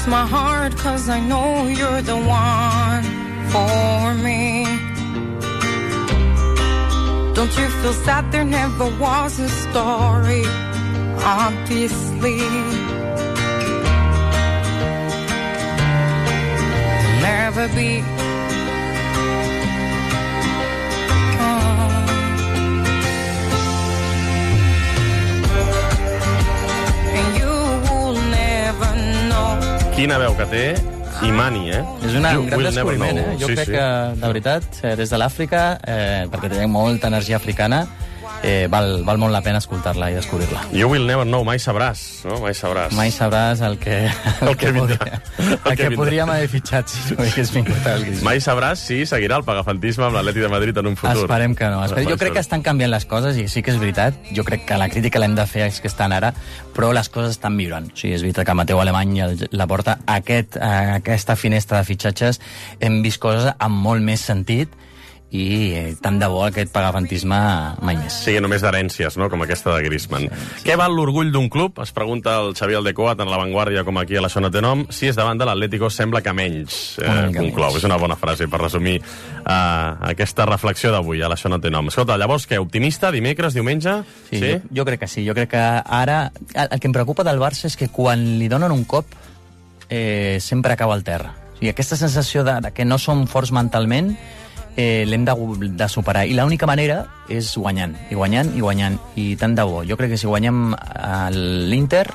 My heart, 'cause I know you're the one for me. Don't you feel sad there never was a story? Obviously, never be. And you will never know. Quina veu que té Imani, És un gran descobriment, Jo crec que, de veritat, des de l'Àfrica, perquè té molta energia africana, val molt la pena escoltar-la i descobrir-la. You will never know, mai sabràs, no? Mai sabràs el que podríem haver fitxat si no hagués vingut el Griezmann. Mai sabràs si seguirà el pagafantisme amb l'Atlètic de Madrid en un futur. Esperem que no. Jo crec que estan canviant les coses, i sí que és veritat. Jo crec que la crítica l'hem de fer als que estan ara, però les coses estan millorant. O sigui, és veritat que Mateu Alemany la porta aquesta finestra de fitxatges, hem vist coses amb molt més sentit, i tant de bo aquest pagafantisme mai més. Sí, només d'herències, no?, com aquesta de Griezmann. Sí. Què val l'orgull d'un club? Es pregunta el Xavi Aldecoa, tant a La Vanguardia com aquí a la Això no té nom. Si és davant de l'Atlético, sembla que menys, conclou. És una bona frase per resumir aquesta reflexió d'avui a la Això no té nom. Escolta, llavors, què? Optimista? Dimecres, diumenge? Sí? Jo crec que sí. Jo crec que ara... El que em preocupa del Barça és que quan li donen un cop sempre acaba al terra. O sigui, aquesta sensació de que no som forts mentalment l'hem de superar. I l'única manera és guanyant, i guanyant, i guanyant. I tant de bo. Jo crec que si guanyem l'Inter,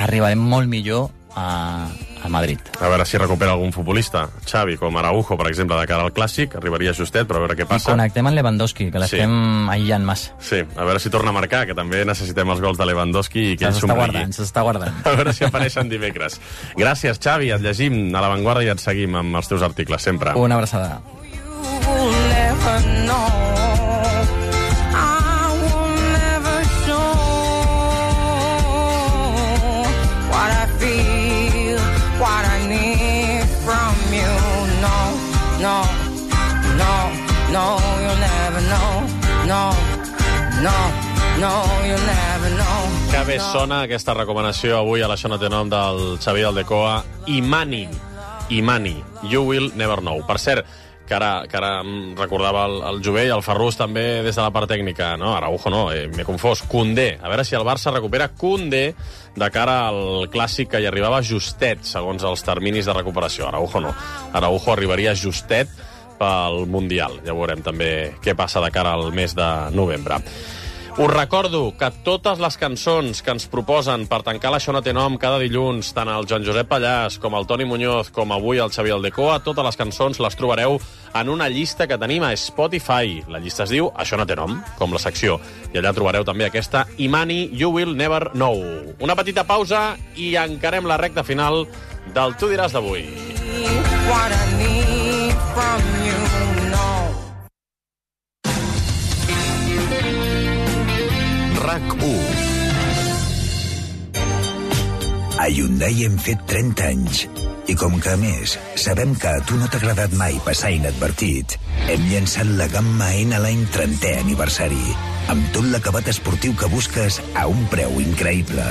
arribarem molt millor a Madrid. A veure si recupera algun futbolista. Xavi, com Araujo, per exemple, de cara al Clàssic, arribaria justet, però a veure què passa. I connectem amb Lewandowski, que l'estem aïllant massa. Sí, a veure si torna a marcar, que també necessitem els gols de Lewandowski i que ell somrigui. S'està guardant. A veure si apareixen dimecres. Gràcies, Xavi, et llegim a La Vanguardia i et seguim amb els teus articles, sempre. Una abraçada. Will never know. I will never show what I feel, what I need from you. No, no, no, no, you'll never know. No, no, no, you'll never know. Que bé sona aquesta recomanació avui a l'Això no té nom del Xavi Aldecoa. Imani, You Will Never Know. Per cert, que ara em recordava el Jové i el Ferrús també des de la part tècnica. No, Araujo no, m'he confós. Koundé. A veure si el Barça recupera Koundé de cara al Clàssic, que hi arribava justet, segons els terminis de recuperació. Araujo no. Araujo arribaria justet pel Mundial. Ja veurem també què passa de cara al mes de novembre. Us recordo que totes les cançons que ens proposen per tancar l'Això no té nom cada dilluns, tant el Joan Josep Pallàs com el Toni Muñoz com avui el Xavi Aldecoa, totes les cançons les trobareu en una llista que tenim a Spotify. La llista es diu Això no té nom, com la secció. I allà trobareu també aquesta Imani, You Will Never Know. Una petita pausa i encarem la recta final del Tu diràs d'avui. What I need from you, no. RAC1. A Hyundai hem fet 30 anys. I com que, a més, sabem que a tu no t'ha agradat mai passar inadvertit, hem llançat la gamma N-Line 30è aniversari, amb tot l'acabat esportiu que busques a un preu increïble.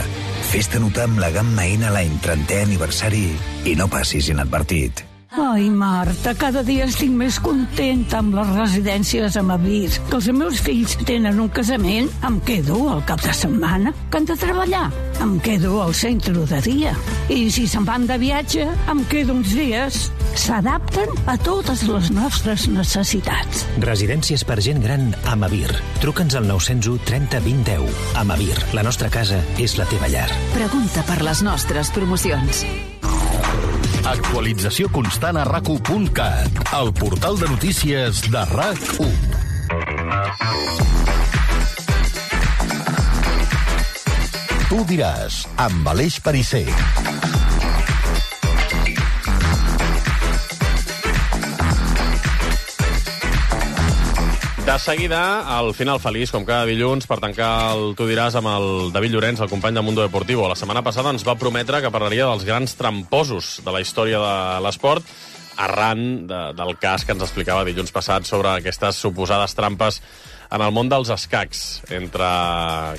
Fes-te notar amb la gamma N-Line 30è aniversari i no passis inadvertit. Ai, Marta, cada dia estic més contenta amb les residències a Mavir. Que els meus fills tenen un casament, em quedo al cap de setmana. Que han de treballar, em quedo al centre de dia. I si se'n van de viatge, em quedo uns dies. S'adapten a totes les nostres necessitats. Residències per gent gran a Mavir. Truca'ns al 901 30 20 10. A Mavir, la nostra casa és la teva llar. Pregunta per les nostres promocions. Actualització constant a RAC1.cat, el portal de notícies de RAC1. Tu diràs, amb Aleix Perisser. De seguida, al final feliç, com cada dilluns, per tancar el Tu diràs amb el David Llorenç, el company de Mundo Deportivo. La setmana passada ens va prometre que parlaria dels grans tramposos de la història de l'esport, arran del cas que ens explicava dilluns passat sobre aquestes suposades trampes en el món dels escacs entre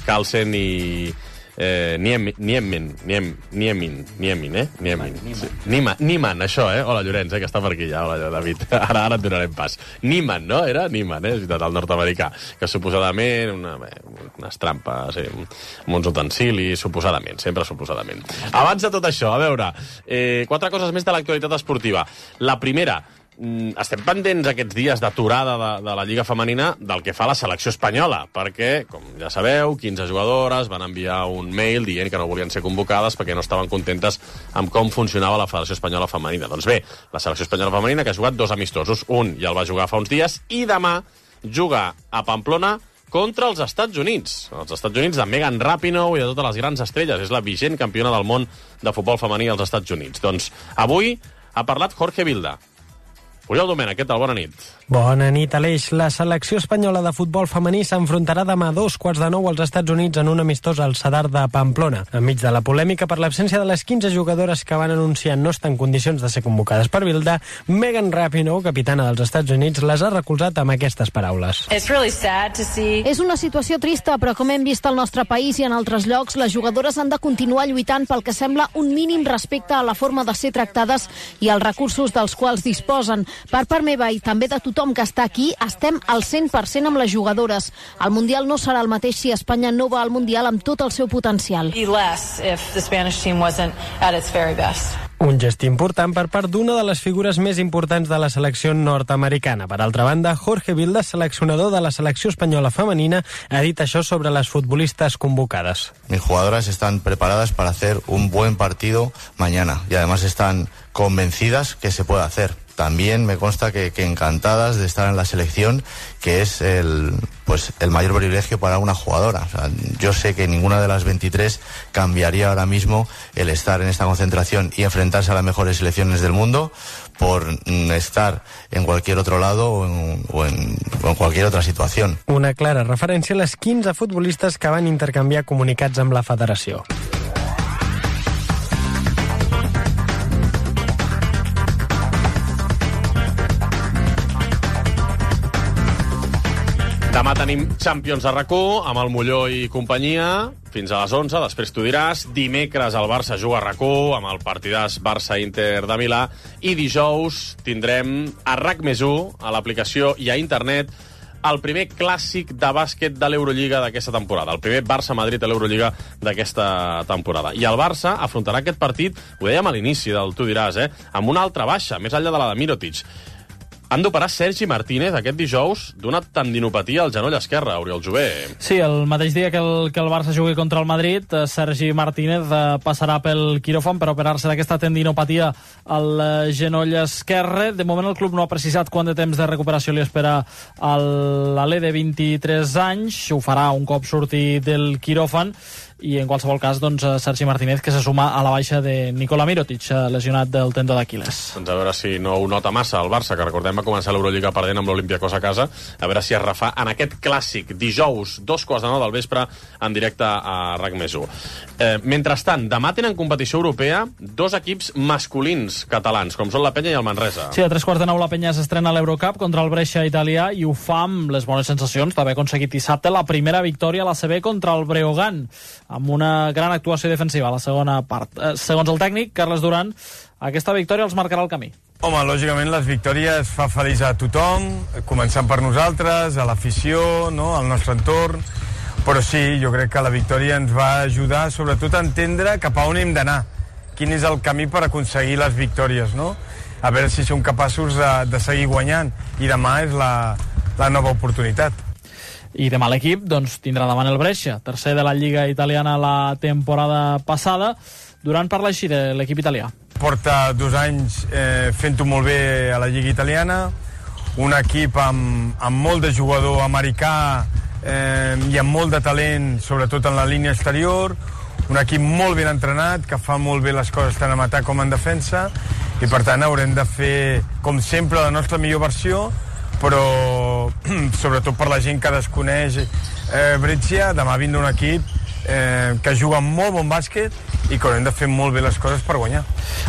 Carlsen i Niemann, això, Hola, Llorenç, que està per aquí ja. Hola, David. Ara et donarem pas. Niemann, no? Era Niemann, és veritat, el nord-americà, que suposadament unes trampes, amb uns utensilis, suposadament, sempre suposadament. Abans de tot això, a veure, 4 coses més de l'actualitat esportiva. La primera, estem pendents aquests dies d'aturada de la Lliga Femenina del que fa la selecció espanyola, perquè, com ja sabeu, 15 jugadores van enviar un mail dient que no volien ser convocades perquè no estaven contentes amb com funcionava la Federació Espanyola Femenina. Doncs bé, la selecció espanyola femenina que ha jugat 2 amistosos, un ja el va jugar fa uns dies, i demà juga a Pamplona contra els Estats Units. Els Estats Units de Megan Rapinoe i de totes les grans estrelles. És la vigent campiona del món de futbol femení als Estats Units. Doncs avui ha parlat Jorge Vilda, Oriol Domènech, què tal? Bona nit. Bona nit, Aleix. La selecció espanyola de futbol femení s'enfrontarà demà a 8:45 als Estats Units en un amistós al Sadar de Pamplona. Enmig de la polèmica per l'absència de les 15 jugadores que van anunciar no estar en condicions de ser convocades per Bilda, Megan Rapinoe, capitana dels Estats Units, les ha recolzat amb aquestes paraules. És una situació trista, però com hem vist al nostre país i en altres llocs, les jugadores han de continuar lluitant pel que sembla un mínim respecte a la forma de ser tractades i als recursos dels quals disposen. Per part meva i també de tothom que està aquí, estem al 100% amb les jugadores. El Mundial no serà el mateix si Espanya no va al Mundial amb tot el seu potencial. Un gest important per part d'una de les figures més importants de la selecció nord-americana. Per altra banda, Jorge Vilda, seleccionador de la selecció espanyola femenina, ha dit això sobre les futbolistas convocades. Mis jugadoras están preparadas para hacer un buen partido mañana y además están convencidas que se puede hacer. También me consta que encantadas de estar en la selección, que es el mayor privilegio para una jugadora. O sea, yo sé que ninguna de las 23 cambiaría ahora mismo el estar en esta concentración y enfrentarse a las mejores selecciones del mundo por estar en cualquier otro lado o en cualquier otra situación. Una clara referència a les 15 futbolistes que van intercanviar comunicats amb la federació. Demà tenim Champions a RAC1 amb el Molló i companyia fins a les 11, després t'ho diràs. Dimecres el Barça juga a RAC1 amb el partidàs Barça-Inter de Milà i dijous tindrem a RAC+1 a l'aplicació i a internet el primer clàssic de bàsquet de l'Eurolliga d'aquesta temporada, el primer Barça-Madrid a l'Eurolliga d'aquesta temporada. I el Barça afrontarà aquest partit, ho dèiem a l'inici del tu diràs, amb una altra baixa, més enllà de la de Mirotic. Han d'operar Sergi Martínez aquest dijous d'una tendinopatia al genoll esquerre, Oriol Jové. Sí, el mateix dia que el Barça jugui contra el Madrid, Sergi Martínez passarà pel quiròfan per operar-se d'aquesta tendinopatia al genoll esquerre. De moment el club no ha precisat quant de temps de recuperació li espera a l'Alè de 23 anys. Ho farà un cop surti del quiròfan. I en qualsevol cas, doncs, Sergi Martínez, que se suma a la baixa de Nikola Mirotic, lesionat del tendó d'Aquil·les. Doncs a veure si no ho nota massa el Barça, que recordem va començar l'Eurolliga perdent amb l'Olympiacos a casa, a veure si es refà en aquest clàssic dijous, 2:15 del vespre, en directe a RAC+1. Mentrestant, demà tenen competició europea dos equips masculins catalans, com són la Penya i el Manresa. Sí, a 9:15 la Penya s'estrena a l'Eurocup contra el Brescia italià i ho fa amb les bones sensacions d'haver aconseguit dissabte la primera victòria a la CB contra el Breogán, amb una gran actuació defensiva a la segona part. Segons el tècnic, Carles Duran, aquesta victòria els marcarà el camí. Home, lògicament les victòries fa feliç a tothom, començant per nosaltres, a l'afició, no?, al nostre entorn, però sí, jo crec que la victòria ens va ajudar sobretot a entendre cap a on hem d'anar, quin és el camí per aconseguir les victòries, no? A veure si som capaços de seguir guanyant, i demà és la nova oportunitat. I demà l'equip doncs, tindrà davant el Brescia, tercer de la Lliga italiana la temporada passada. Duran parla així de l'equip italià. Porta 2 anys fent-ho molt bé a la Lliga italiana, un equip amb molt de jugador americà i amb molt de talent, sobretot en la línia exterior, un equip molt ben entrenat, que fa molt bé les coses tant en atac com en defensa, i per tant haurem de fer, com sempre, la nostra millor versió, però sobretot per la gent que desconeix Brescia, demà vindrà un equip que juga molt bon bàsquet i que haurem de fer molt bé les coses per guanyar.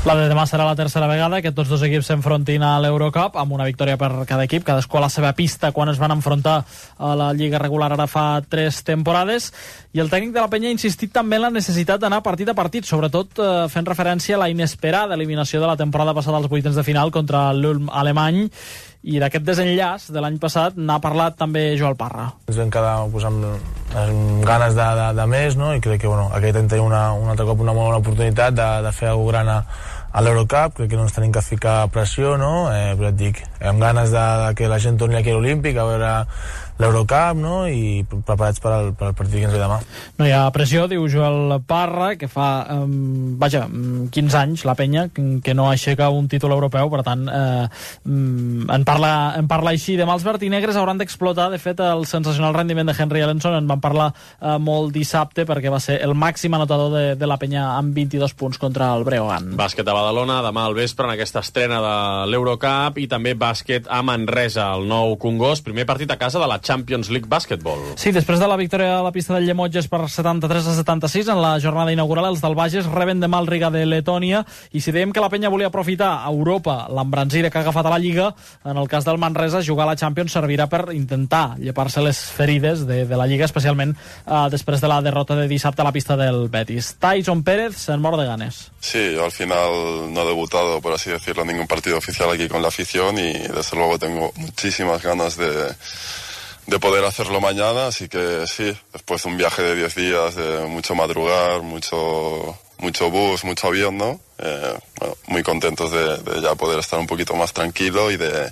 La de demà serà la tercera vegada que tots dos equips s'enfrontin a l'Eurocup, amb una victòria per cada equip, cadascú a la seva pista quan es van enfrontar a la Lliga regular ara fa 3 temporades, i el tècnic de la Penya ha insistit també en la necessitat d'anar partit a partit, sobretot fent referència a la inesperada eliminació de la temporada passada als vuitens de final contra l'Ulm alemany, i d'aquest desenllaç de l'any passat n'ha parlat també Joel Parra. Ens vam quedar amb ganes de més, no? I crec que aquest any tenim un altre cop una molt bona oportunitat de fer alguna gran a l'Eurocup. Crec que no ens tenim que ficar pressió, no? Però et dic, amb ganes de que la gent torni aquí a l'Olímpic a veure l'Eurocup, no? I preparats per al partit que ens ve demà. No hi ha pressió, diu Joel Parra, que fa 15 anys la Penya que no aixeca un títol europeu, per tant en parla així. Demà els vertinegres hauran d'explotar, de fet el sensacional rendiment de Henry Ellenson en van parlar molt dissabte, perquè va ser el màxim anotador de la Penya amb 22 punts contra el Breogán. Bàsquet a Badalona demà al vespre en aquesta estrena de l'Eurocup, i també bàsquet a Manresa, el nou Congost, primer partit a casa de la Champions League Basketball. Sí, després de la victòria a la pista del Llemotges per 73-76 en la jornada inaugural, els del Bages reben demà el Riga de Letònia, i si dèiem que la penya volia aprofitar a Europa l'embranzida que ha agafat a la Lliga, en el cas del Manresa, jugar a la Champions servirà per intentar llepar-se les ferides de la Lliga, especialment després de la derrota de dissabte a la pista del Betis. Tyson Pérez se'n mor de ganes. Sí, yo al final no he debutado, por así decirlo, en ningún partido oficial aquí con la afición, y desde luego tengo muchísimas ganas de poder hacerlo mañana, así que sí, después de un viaje de 10 días, de mucho madrugar, mucho bus, mucho avión, ¿no? Bueno, muy contentos de ya poder estar un poquito más tranquilo y de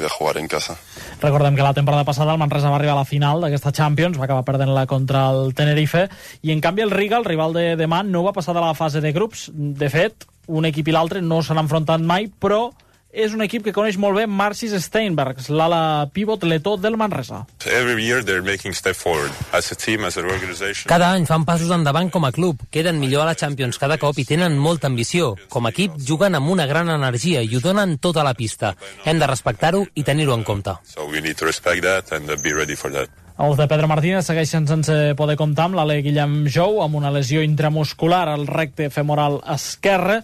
jugar en casa. Recordem que la temporada passada el Manresa va arribar a la final d'aquesta Champions, va acabar perdent-la contra el Tenerife, i en canvi el Riga, el rival de demà, no va passar de la fase de grups. De fet, un equip i l'altre no s'han enfrontat mai, però és un equip que coneix molt bé Marcis Steinbergs, l'ala pivot letó del Manresa. Cada any fan passos endavant com a club, queden millor a la Champions cada cop i tenen molta ambició. Com a equip juguen amb una gran energia i ho donen tota la pista. Hem de respectar-ho i tenir-ho en compte. Els de Pedro Martínez segueixen sense poder comptar amb l'ale Guillem Jou, amb una lesió intramuscular al recte femoral esquerre,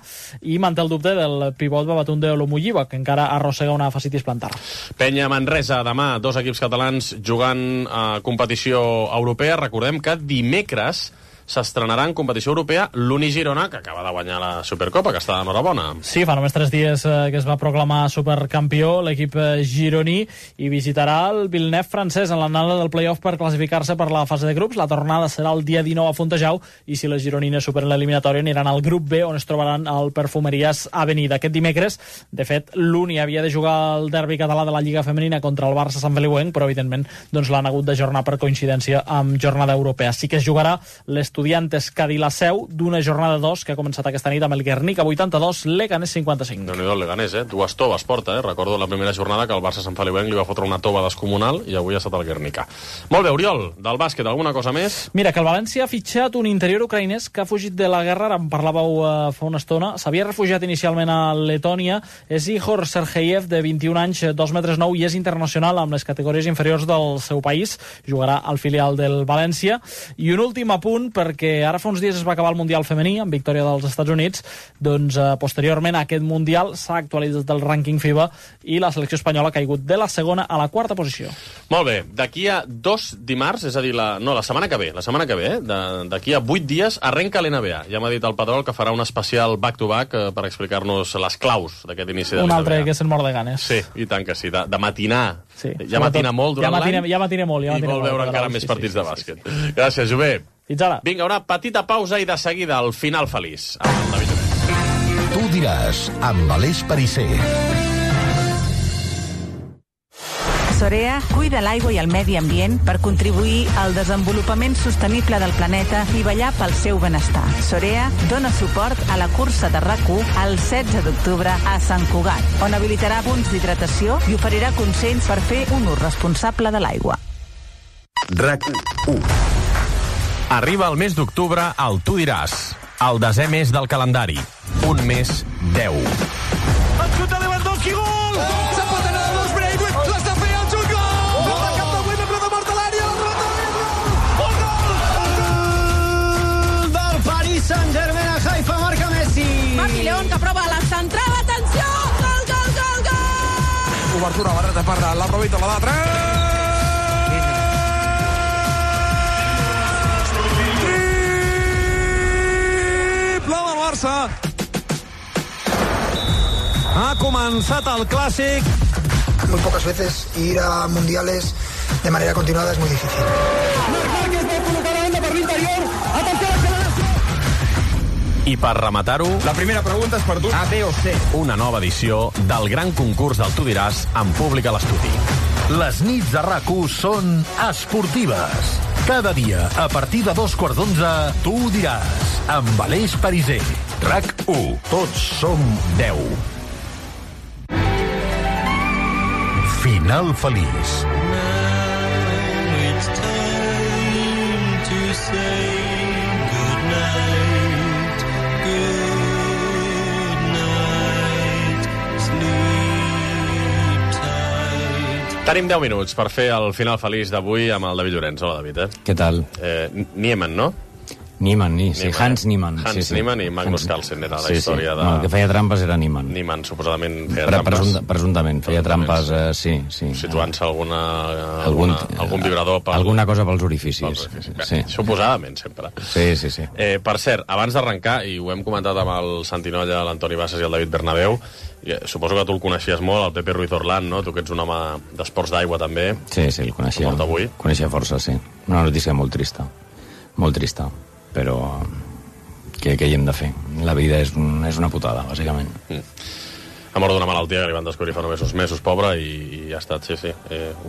i manté el dubte del pivot Babatunde Olumuyiwa, que encara arrossega una fascitis plantar. Penya Manresa, demà, dos equips catalans jugant a competició europea. Recordem que dimecres s'estrenarà en competició europea l'Uni Girona, que acaba de guanyar la Supercopa, que està d'enhorabona. Sí, fa només 3 dies que es va proclamar supercampió l'equip gironí, i visitarà el Villeneuve francès en l'anada del play-off per classificar-se per la fase de grups. La tornada serà el dia 19 a Fontejau, i si les gironines superen l'eliminatòria aniran al grup B, on es trobaran al Perfumeries Avenida. Aquest dimecres, de fet, l'Uni havia de jugar el derbi català de la Lliga Femenina contra el Barça Sant Feliuenc, però evidentment l'han hagut d'ajornar per coincidència amb jornada europea. Sí que es jugarà l'Estudiantes Cadí-la-Seu d'una jornada 2 que ha començat aquesta nit amb el Guernica 82, Leganés 55. Déu-n'hi-do el Leganés, dues toves porta, Recordo la primera jornada que el Barça Sant Feliuenc li va fotre una tova descomunal, i avui ha estat el Guernica. Molt bé, Oriol, del bàsquet, alguna cosa més? Mira, que el València ha fitxat un interior ucraïnès que ha fugit de la guerra, en parlàveu fa una estona, s'havia refugiat inicialment a Letònia, és Ihor Sergeyev, de 21 anys, 2 metres 9, i és internacional amb les categories inferiors del seu país, jugarà al filial del València. I un últim apunt, perquè ara fa uns dies es va acabar el Mundial femení amb victòria dels Estats Units, doncs posteriorment a aquest Mundial s'ha actualitzat el rànquing FIBA i la selecció espanyola ha caigut de la segona a la quarta posició. Molt bé, d'aquí a 2 dimarts, és a dir, la setmana que ve, d'aquí a 8 dies arrenca l'NBA. Ja m'ha dit el Pedrol que farà un especial back-to-back per explicar-nos les claus d'aquest inici de l'NBA. Un altre que se'n mor de ganes. Sí, i tant que sí, de matinar. Sí, ja matina molt durant l'any. Ja matiner molt. I vol veure encara més partits de bàsquet. Gràcies, Jové. Fins ara. Vinga, una petita pausa i de seguida el final feliç. Tu diràs, amb Aleix Pariser. Sorea cuida l'aigua i el medi ambient per contribuir al desenvolupament sostenible del planeta i vetllar pel seu benestar. Sorea dona suport a la cursa de RAC1 el 16 d'octubre a Sant Cugat, on habilitarà punts d'hidratació i oferirà consells per fer un ús responsable de l'aigua. RAC1. Arriba el mes d'octubre al Tu diràs, el 10è mes del calendari. Un mes 10. El xut de Lewandowski, gol! S'ha patat a dos Braithwaite, l'està fent el xut, gol! Gol de cap de Wimmer, però de mort a l'àrea, el gol del Paris Saint-Germain a Haifa, marca Messi. Marc León, que prova la centrada, atenció, gol! Obertura, barreta per la Robita, la d'altre. Ha comenzado el clásico. Muy pocas veces ir a mundiales de manera continuada es muy difícil. I per rematar-ho... La primera pregunta és per tu. A, B o C. Una nova edició del gran concurs del Tu diràs en públic a l'estudi. Les nits de RAC1 són esportives. Cada dia, a partir de 2:15, Tu diràs, amb Aleix Pariser. RAC1. Tots som 10. Final feliç. It's time to say goodnight, goodnight. Tenim 10 minuts per fer el final feliç d'avui amb el David Llorenç. Hola, David. Què tal? Niemann, no? Niemann, sí. Hans Niemann. Hans Niemann i Magnus Carlsen era la història de... No, el que feia trampes era Niemann. Niemann, suposadament, feia trampes. Presumptament, feia trampes, sí. Situant-se algun vibrador... Alguna cosa pels orificis. Sí. Suposadament, sempre. Sí. Per cert, abans d'arrencar, i ho hem comentat amb el Santinolla, l'Antoni Bassas i el David Bernabéu, suposo que tu el coneixies molt, el Pepe Ruiz Orlán, no? Tu que ets un home d'esports d'aigua, també. Sí, el coneixia. Molt avui. Coneixia força, sí. Una notícia molt trista. Molt trista. Però què hi hem de fer? La vida és una putada, bàsicament. Ha mort d'una malaltia que li van descobrir fa només uns mesos, pobre, i ha estat, sí,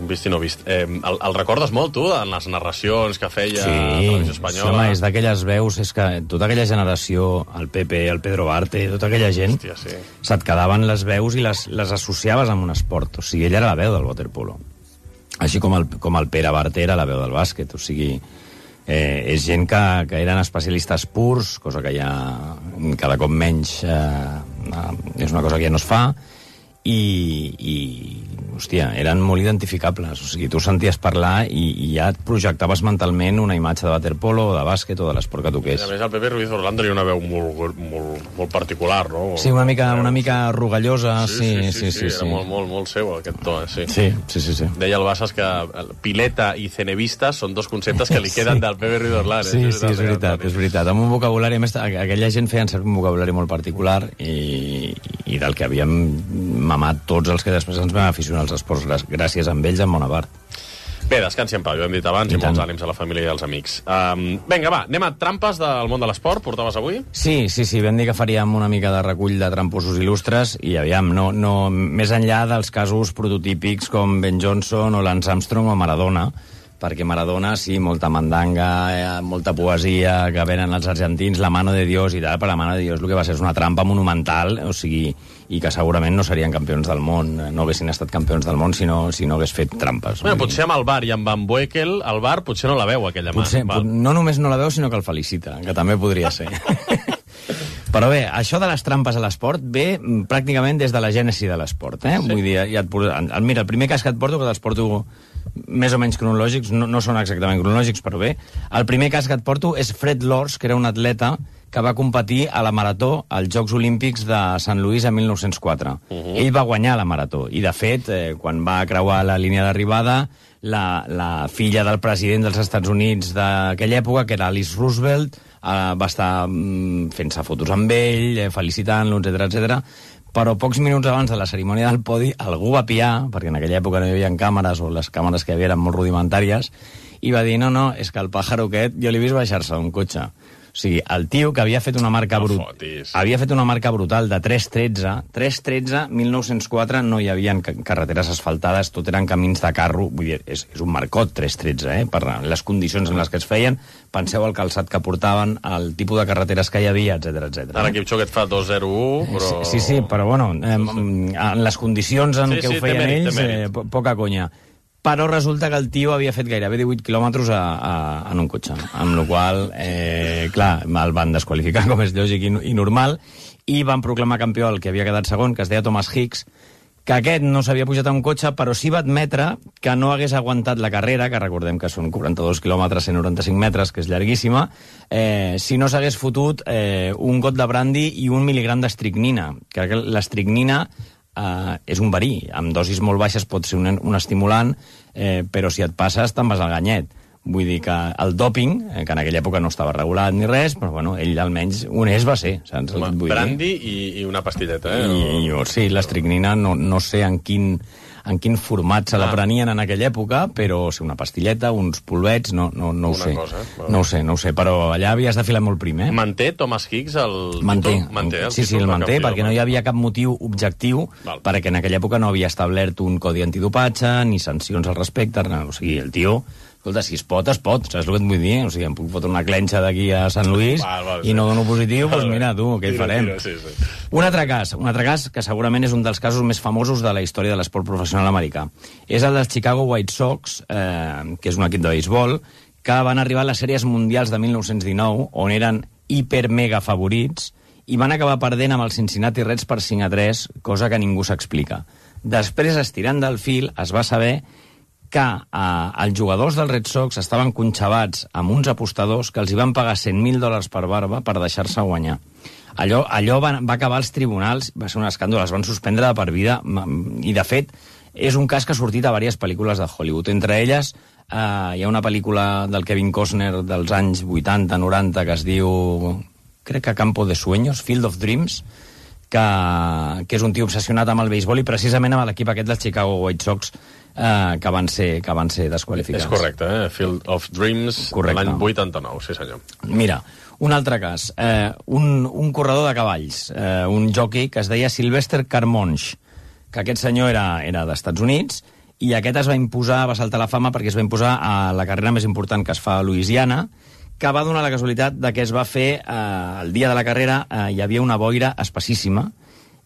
un vist i no vist. El recordes molt, tu, en les narracions que feia a Televisió Espanyola? Home, és d'aquelles veus, és que tota aquella generació, el Pepe, el Pedro Barte, tota aquella gent, se't quedaven les veus i les associaves amb un esport. O sigui, ell era la veu del waterpolo. Així com el Pere Barte era la veu del bàsquet, o sigui... és gent que eren especialistes purs, cosa que ja cada cop menys és una cosa que ja no es fa, i hòstia, eren molt identificables. O sigui, tu senties parlar i ja et projectaves mentalment una imatge de waterpolo o de bàsquet o de l'esport que toqués. A més, el Pepe Ruiz Orlán tenia una veu molt particular, no? Sí, una mica rugallosa, sí. Era molt seu, aquest to, sí. Sí. Deia el Bassas que pileta i cenevista són dos conceptes que li queden del Pepe Ruiz Orlán. Sí, és veritat. Amb un vocabulari, a més, aquella gent feien servir un vocabulari molt particular i del que havíem mamat tots els que després ens vam aficionar als esports gràcies a ells en bona part. Bé, descansi en pau, ho hem dit abans, i molts ànims a la família i als amics. Vinga, va, anem a trampes del món de l'esport, portaves avui? Sí, vam dir que faríem una mica de recull de tramposos il·lustres, i aviam, no, més enllà dels casos prototípics com Ben Johnson o Lance Armstrong o Maradona, perquè Maradona, sí, molta mandanga, molta poesia, que venen els argentins, la mano de Dios i tal, però la mano de Dios el que va ser és una trampa monumental, o sigui, i que segurament no serien campions del món, no haguessin estat campions del món si no hagués fet trampes. Bueno, potser amb el VAR i amb Van Boekel, el VAR potser no la veu, aquella mà. No només no la veu, sinó que el felicita, que també podria ser. Però bé, això de les trampes a l'esport ve pràcticament des de la gènesi de l'esport, eh? Sí. Vull dir, mira, el primer cas que et porto, que te'ls porto més o menys cronològics, no són exactament cronològics, però bé, el primer cas que et porto és Fred Lors, que era un atleta que va competir a la marató als Jocs Olímpics de Sant Louis en 1904. Ell va guanyar la marató, i de fet, quan va creuar la línia d'arribada, la filla del president dels Estats Units d'aquella època, que era Alice Roosevelt, va estar fent-se fotos amb ell, felicitant-lo, etc. Però pocs minuts abans de la cerimònia del podi algú va piar, perquè en aquella època no hi havia càmeres, o les càmeres que hi havia eren molt rudimentàries, i va dir, no, és que el pàjaro aquest jo l'he vist baixar-se d'un cotxe. O sigui, el tio que havia fet una marca brutal de 3.13, 1904 no hi havia carreteres asfaltades, tot eren camins de carro, vull dir, és un marcot 3.13, per les condicions en les que es feien. Penseu el calçat que portaven, el tipus de carreteres que hi havia, etc. Ara Kipchoge et fa 2.01, però... Sí, però bueno, en les condicions en què ho feien ells, poca conya. Però resulta que el tio havia fet gairebé 18 quilòmetres en un cotxe, amb la qual clar, el van desqualificar, com és lògic i normal, i van proclamar campió el que havia quedat segon, que es deia Thomas Hicks, que aquest no s'havia pujat a un cotxe, però sí va admetre que no hagués aguantat la carrera, que recordem que són 42 quilòmetres, 195 metres, que és llarguíssima, si no s'hagués fotut un got de brandy i 1 mil·ligram d'estricnina, que l'estricnina és un verí, amb dosis molt baixes pot ser un estimulant, però si et passes te'n vas al ganyet. Vull dir que el dòping, que en aquella època no estava regulat ni res, però bueno, ell almenys honest va ser. Brandy i una pastilleta, Sí, l'estricnina no sé en quin format se la prenien en aquella època, però una pastilleta, uns polvets, no ho sé. No ho sé, però allà havies de filar molt prim, eh? Manté Thomas Hicks el títol? Sí, el manté, perquè no hi havia cap motiu objectiu, perquè en aquella època no havia establert un codi antidopatge, ni sancions al respecte, o sigui, el tio... Escolta, si es pot, saps el que et vull dir? O sigui, em puc fotre una clenxa d'aquí a Sant Lluís i no dono positiu, doncs mira, tu, què hi farem? Un altre cas que segurament és un dels casos més famosos de la història de l'esport professional americà. És el dels Chicago White Sox, que és un equip de béisbol, que van arribar a les sèries mundials de 1919, on eren hiper-mega favorits, i van acabar perdent amb els Cincinnati Reds per 5-3, cosa que ningú s'explica. Després, estirant del fil, es va saber que els jugadors dels Red Sox estaven conxabats amb uns apostadors que els hi van pagar $100,000 per barba per deixar-se guanyar. Allò va acabar als tribunals, va ser un escàndol, es van suspendre de per vida, i de fet és un cas que ha sortit a diverses pel·lícules de Hollywood. Entre elles hi ha una pel·lícula del Kevin Costner dels anys 80-90 que es diu, crec que Campo de Sueños, Field of Dreams, que és un tio obsessionat amb el béisbol i precisament amb l'equip aquest dels Chicago White Sox que van ser desqualificats. És correcte, Field of Dreams, l'any 89, sí senyor. Mira, un altre cas, un corredor de cavalls, un jockey que es deia Sylvester Carmonge, que aquest senyor era d'Estats Units, i aquest es va imposar, va saltar la fama perquè es va imposar a la carrera més important que es fa a Louisiana, que va donar la casualitat de que es va fer el dia de la carrera, hi havia una boira espessíssima,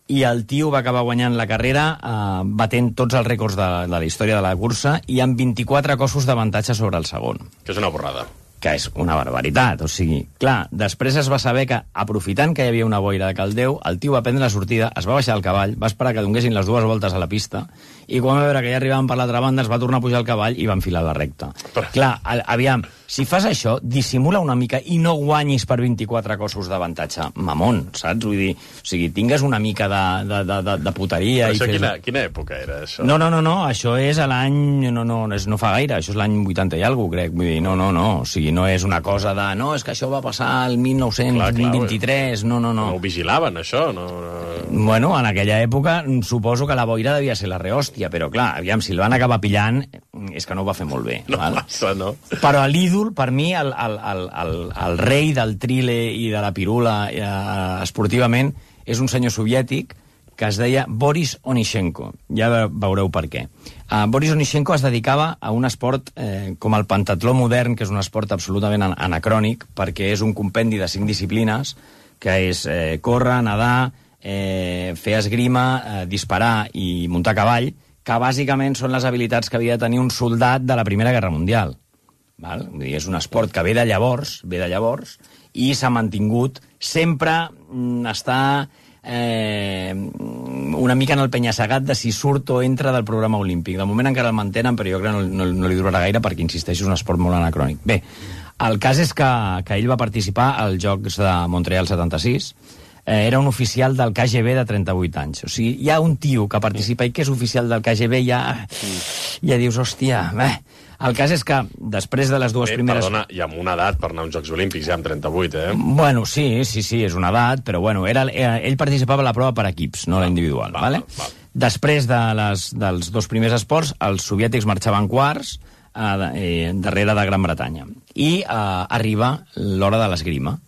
i el tio va acabar guanyant la carrera batent tots els rècords de la història de la cursa i amb 24 cossos d'avantatge sobre el segon. Que és una borrada. Que és una barbaritat, o sigui, clar, després es va saber que, aprofitant que hi havia una boira de caldeu, el tio va prendre la sortida, es va baixar del cavall, va esperar que donguessin les 2 voltes a la pista, i quan va veure que ja arribaven per l'altra banda, es va tornar a pujar al cavall i va enfilar la recta. Clar, aviam, si fas això, dissimula una mica i no guanyis per 24 cossos d'avantatge. Mamón, saps? Vull dir, o sigui, tingues una mica de puteria. Però això quina època era, això? No, això és a l'any... No fa gaire, això és l'any 80 i alguna cosa, crec. Vull dir, no, o sigui, no és una cosa de... No, és que això va passar el 1923, no. No ho vigilaven, això? Bueno, en aquella època suposo que la boira devia ser la rehòstia, però clar, aviam, si el van acabar pillant, és que no ho va fer molt bé. No passa, no? Però l'ídol, per mi, el rei del trile i de la pirula esportivament, és un senyor soviètic que es deia Boris Onyshenko. Ja veureu per què. Boris Onyshenko es dedicava a un esport com el pentatló modern, que és un esport absolutament anacrònic, perquè és un compendi de 5 disciplines, que és córrer, nedar, fer esgrima, disparar i muntar a cavall, que bàsicament són les habilitats que havia de tenir un soldat de la Primera Guerra Mundial. Val? Vull dir, és un esport que ve de llavors, i s'ha mantingut. Sempre està una mica en el penya-segat de si surt o entra del programa olímpic. De moment encara el mantenen, però jo crec que no li durarà gaire perquè, insisteixo, és un esport molt anacrònic. Bé, el cas és que ell va participar als Jocs de Montreal 76, era un oficial del KGB de 38 anys. O sigui, hi ha un tio que participa i que és oficial del KGB, ja dius, hòstia, El cas és que, després de les 2 primeres... Perdona, i amb una edat per anar a uns Jocs Olímpics, ja amb 38, Bueno, sí, és una edat, però bueno, ell participava a la prova per equips, no la individual, vale? Després dels 2 primers esports, els soviètics marxaven quarts darrere de Gran Bretanya. I arriba l'hora de l'esgrima.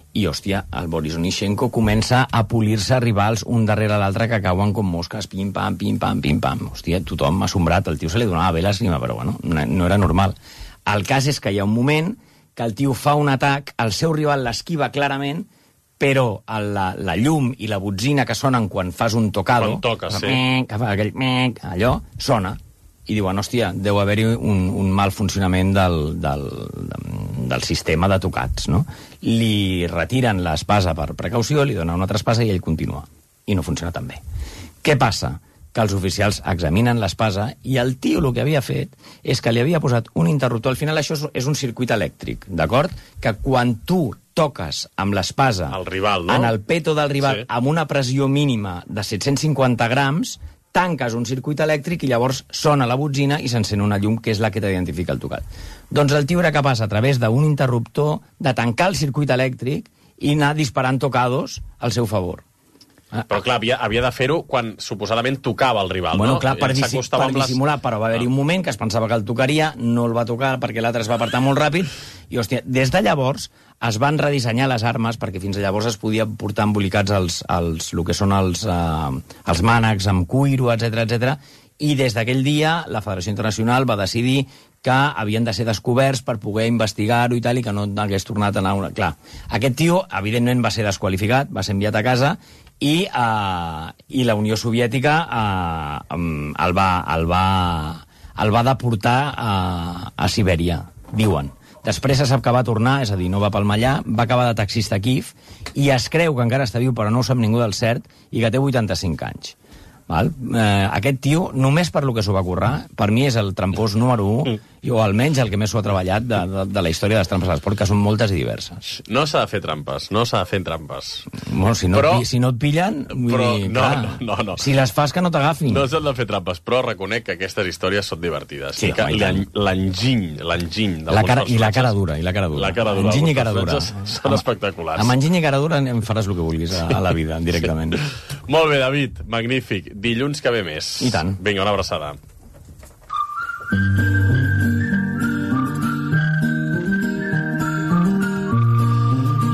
I, hòstia, el Boris Onyshenko comença a polir-se rivals un darrere l'altre que cauen com mosques, pim-pam, pim-pam, pim-pam. Hòstia, tothom m'ha assombrat, el tio se li donava bé l'esgrima, però bueno, no era normal. El cas és que hi ha un moment que el tio fa un atac, el seu rival l'esquiva clarament, però la llum i la botzina que sonen quan fas un tocado... Quan toques, sí. Que fa aquell allò, sona. I diuen, hòstia, deu haver-hi un mal funcionament del sistema de tocats, no? Li retiren l'espasa per precaució, li donen una altra espasa i ell continua. I no funciona tan bé. Què passa? Que els oficials examinen l'espasa i el tio el que havia fet és que li havia posat un interruptor. Al final això és un circuit elèctric, d'acord? Que quan tu toques amb l'espasa en el peto del rival amb una pressió mínima de 750 grams, tanques un circuit elèctric i llavors sona la botzina i s'encén una llum que és la que t'identifica el tocat. Doncs el tio era capaç, a través d'un interruptor, de tancar el circuit elèctric i anar disparant tocados al seu favor. Però clar, havia de fer-ho quan suposadament tocava el rival, bueno, no? Clar, per dissimular, però va haver-hi un moment que es pensava que el tocaria, no el va tocar perquè l'altre es va apartar molt ràpid, i hòstia, des de llavors es van redissenyar les armes perquè fins a llavors es podia portar embolicats el que són els mànecs amb cuiro, etc. I des d'aquell dia la Federació Internacional va decidir que havien de ser descoberts per poder investigar-ho i tal, i que no hagués tornat a anar... Clar, aquest tio, evidentment, va ser desqualificat, va ser enviat a casa, i la Unió Soviètica el va deportar a Sibèria, diuen. Després se sap que va tornar, és a dir, no va palmar allà, va acabar de taxista a Kíev, i es creu que encara està viu, però no ho sap ningú del cert, i que té 85 anys. Val? Aquest tio, només per lo que s'ho va currar, per mi és el trampós número 1, o almenys el que més s'ho ha treballat de la història de les trampes a l'esport, que són moltes i diverses. No s'ha de fer trampes, no s'ha de fer trampes. Bueno, si no et pillen, vull dir, no. Si les fas que no t'agafin. No s'han de fer trampes, però reconec que aquestes històries són divertides. Sí, l'enginy la cara dura. Enginy i cara dura. Són espectaculars. Amb enginy i cara dura em faràs el que vulguis a la vida, directament. Molt bé, David, magnífic. Dilluns que ve més. I tant. Vinga, una abraçada.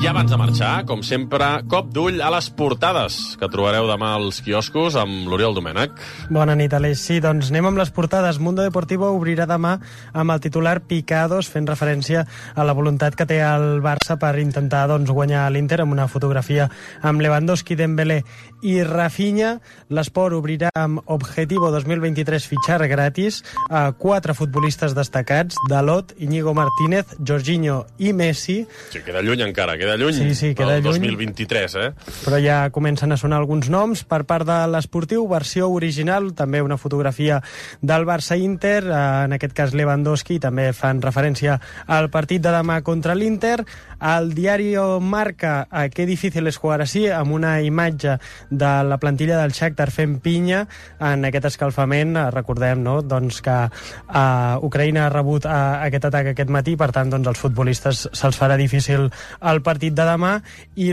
I abans de marxar, com sempre, cop d'ull a les portades que trobareu demà als quioscos amb l'Oriol Domènech. Bona nit, Aleix. Sí, doncs anem amb les portades. Mundo Deportivo obrirà demà amb el titular Picados, fent referència a la voluntat que té el Barça per intentar guanyar l'Inter, amb una fotografia amb Lewandowski, Dembélé i Rafinha. L'Esport obrirà amb Objetivo 2023 fitxar gratis a 4 futbolistes destacats: Dalot, Íñigo Martínez, Jorginho i Messi. Sí, queda lluny encara, queda lluny. Sí, queda lluny. 2023, Però ja comencen a sonar alguns noms per part de l'Esportiu, versió original, també una fotografia del Barça-Inter, en aquest cas Lewandowski, també fan referència al partit de demà contra l'Inter. El diari Marca, qué difícil es jugar així, amb una imatge de la plantilla del Shakhtar fent pinya en aquest escalfament. Recordem, no?, doncs que Ucraïna ha rebut aquest atac aquest matí, per tant, doncs, els futbolistes se'ls farà difícil el partit de demà, i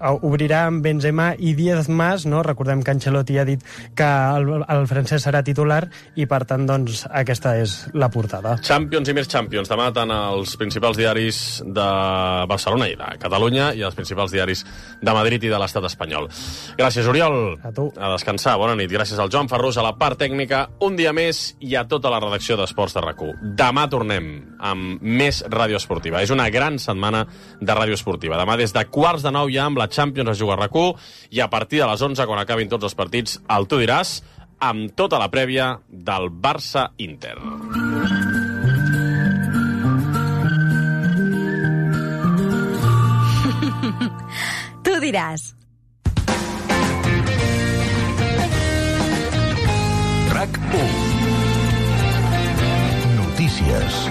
obrirà amb Benzema i Diez-Mas, no? Recordem que Ancelotti ha dit que el francès serà titular, i per tant, doncs, aquesta és la portada. Champions i més Champions. Demà tant als principals diaris de Barcelona i de Catalunya i als principals diaris de Madrid i de l'estat espanyol. Gràcies, Oriol. A tu. A descansar. Bona nit. Gràcies al Joan Ferrús, a la part tècnica, un dia més, i a tota la redacció d'Esports de RAC1. Demà tornem amb més ràdio esportiva. És una gran setmana de ràdio esportiva. Demà des de 8:45 ja amb la Champions a jugar a RAC1, i a partir de les 11, quan acabin tots els partits, el Tu diràs, amb tota la prèvia del Barça-Inter. Tu diràs. RAC1. Notícies.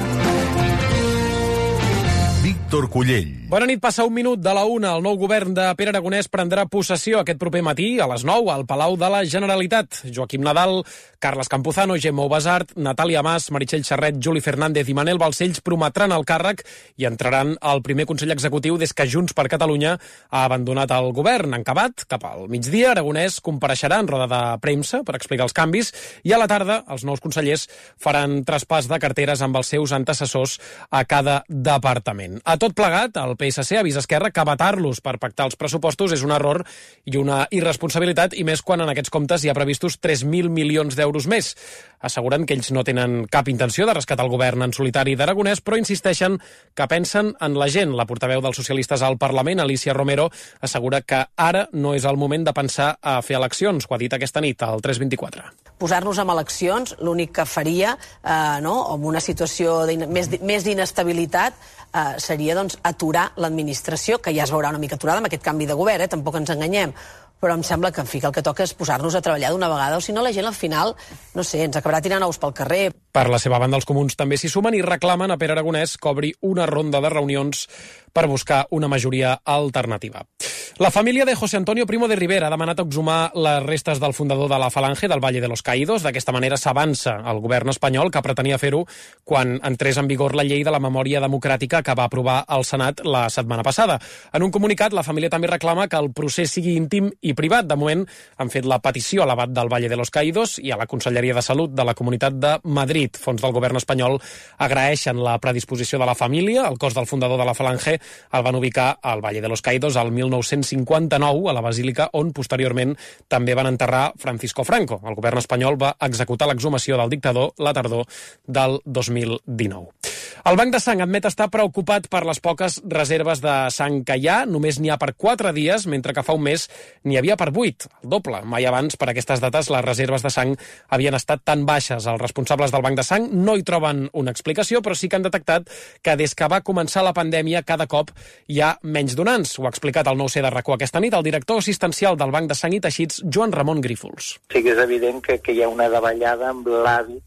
Víctor Cullell. Bona nit, passa un minut de la 1. El nou govern de Pere Aragonès prendrà possessió aquest proper matí a les 9 al Palau de la Generalitat. Joaquim Nadal, Carles Campuzano, Gemma Ubasart, Natàlia Mas, Meritxell Serret, Juli Fernández i Manel Balcells prometran el càrrec i entraran al primer Consell Executiu des que Junts per Catalunya ha abandonat el govern. En acabat, cap al migdia, Aragonès compareixerà en roda de premsa per explicar els canvis, i a la tarda els nous consellers faran traspàs de carteres amb els seus antecessors a cada departament. A tot plegat, el PSC avisa Esquerra que vetar-los per pactar els pressupostos és un error i una irresponsabilitat, i més quan en aquests comptes hi ha previstos 3.000 milions d'euros més. Asseguren que ells no tenen cap intenció de rescatar el govern en solitari d'Aragonès, però insisteixen que pensen en la gent. La portaveu dels socialistes al Parlament, Alicia Romero, assegura que ara no és el moment de pensar a fer eleccions, ho ha dit aquesta nit al 324. Posar-nos en eleccions l'únic que faria, amb una situació més d'inestabilitat, seria aturar l'administració, que ja es veurà una mica aturada amb aquest canvi de govern, tampoc ens enganyem. Però em sembla que, el que toca és posar-nos a treballar d'una vegada, o si no la gent al final, ens acabarà tirant ous pel carrer. Per la seva banda, els comuns també s'hi sumen i reclamen a Pere Aragonès que obri una ronda de reunions per buscar una majoria alternativa. La família de José Antonio Primo de Rivera ha demanat exhumar les restes del fundador de la Falange del Valle de los Caídos. D'aquesta manera s'avança el govern espanyol, que pretenia fer-ho quan entrés en vigor la llei de la memòria democràtica que va aprovar el Senat la setmana passada. En un comunicat, la família també reclama que el procés sigui íntim i privat. De moment, han fet la petició a l'abat del Valle de los Caídos i a la Conselleria de Salut de la Comunitat de Madrid. Fons del govern espanyol agraeixen la predisposició de la família. El cos del fundador de la Falange el van ubicar al Valle de los Caídos al 1959, a la Basílica, on posteriorment també van enterrar Francisco Franco. El govern espanyol va executar l'exhumació del dictador la tardor del 2019. El Banc de Sang admet estar preocupat per les poques reserves de sang que hi ha. Només n'hi ha per 4 dies, mentre que fa un mes n'hi havia per 8, el doble. Mai abans, per aquestes dates, les reserves de sang havien estat tan baixes. Els responsables del Banc de Sang no hi troben una explicació, però sí que han detectat que des que va començar la pandèmia cada cop hi ha menys donants. Ho ha explicat el 9C de RAC1 aquesta nit el director assistencial del Banc de Sang i Teixits, Joan Ramon Grífols. Sí que és evident que hi ha una davallada amb l'hàbit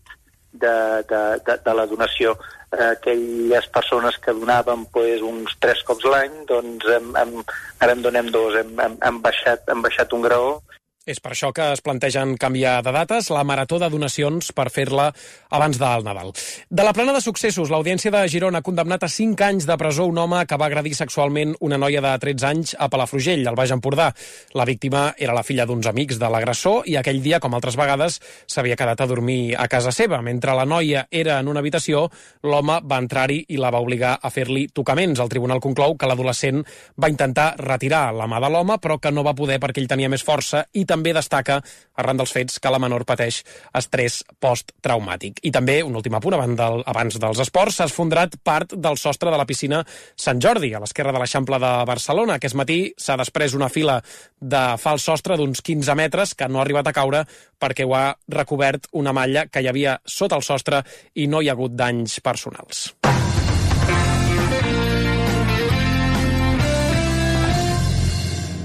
de la donació. Aquelles persones que donaven uns 3 cops l'any, doncs ara en donem 2, hem baixat un graó. És per això que es plantegen canviar de dates la marató de donacions per fer-la abans del Nadal. De la plana de successos, l'Audiència de Girona ha condemnat a 5 anys de presó un home que va agredir sexualment una noia de 13 anys a Palafrugell, al Baix Empordà. La víctima era la filla d'uns amics de l'agressor i aquell dia, com altres vegades, s'havia quedat a dormir a casa seva. Mentre la noia era en una habitació, l'home va entrar-hi i la va obligar a fer-li tocaments. El tribunal conclou que l'adolescent va intentar retirar la mà de l'home, però que no va poder perquè ell tenia més força, i també destaca, arran dels fets, que la menor pateix estrès posttraumàtic. I també, un últim apunt, abans dels esports, s'ha esfondrat part del sostre de la piscina Sant Jordi, a l'esquerra de l'Eixample de Barcelona. Aquest matí s'ha desprès una fila de fals sostre d'uns 15 metres que no ha arribat a caure perquè ho ha recobert una malla que hi havia sota el sostre i no hi ha hagut danys personals.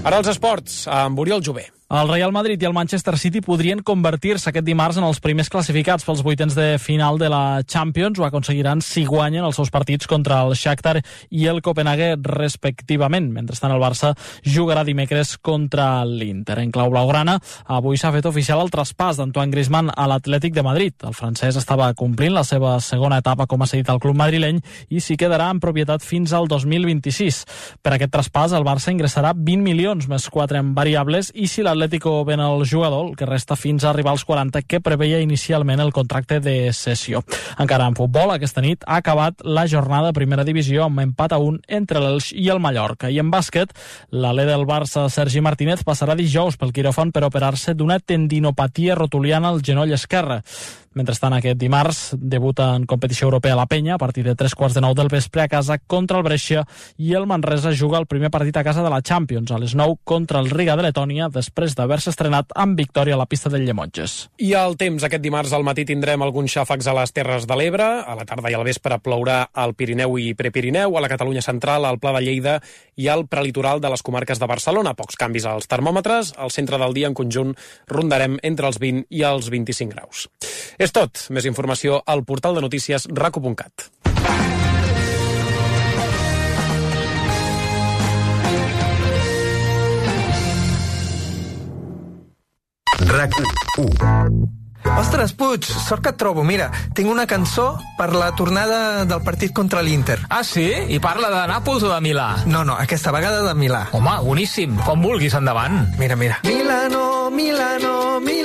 Ara els esports, amb Oriol Jové. El Real Madrid i el Manchester City podrien convertir-se aquest dimarts en els primers classificats pels vuitens de final de la Champions. Ho aconseguiran si guanyen els seus partits contra el Shakhtar i el Copenhague, respectivament. Mentrestant, el Barça jugarà dimecres contra l'Inter. En clau blaugrana, avui s'ha fet oficial el traspàs d'Antoine Griezmann a l'Atlètic de Madrid. El francès estava complint la seva segona etapa com a cedit al club madrileny i s'hi quedarà en propietat fins al 2026. Per aquest traspàs, el Barça ingressarà 20 milions més 4 en variables i si l'Atlético ven el jugador, el que resta fins a arribar als 40 que preveia inicialment el contracte de cessió. Encara en futbol, aquesta nit ha acabat la jornada de primera divisió amb empat a 1 entre l'Elx i el Mallorca. I en bàsquet, l'alè del Barça, Sergi Martínez, passarà dijous pel quiròfan per operar-se d'una tendinopatia rotuliana al genoll esquerre. Mentrestant, aquest dimarts debuta en competició europea la Penya a partir de 3:15 del vespre a casa contra el Brescia i el Manresa juga el primer partit a casa de la Champions a les 9 contra el Riga de Letònia després d'haver-se estrenat amb victòria a la pista del Llemotges. I el temps, aquest dimarts al matí tindrem alguns xàfecs a les Terres de l'Ebre, a la tarda i al vespre plourà al Pirineu i Prepirineu, a la Catalunya central, al Pla de Lleida i al prelitoral de les comarques de Barcelona. Pocs canvis als termòmetres, al centre del dia en conjunt rondarem entre els 20 i els 25 graus. És tot. Més informació al portal de notícies raco.cat. RAC1. Ostres, Puig, sort que et trobo. Mira, tinc una cançó per la tornada del partit contra l'Inter. Ah, sí? I parla de Nàpols o de Milà? No, aquesta vegada de Milà. Home, boníssim. Com vulguis, endavant. Mira. Milano, Milano, Milano.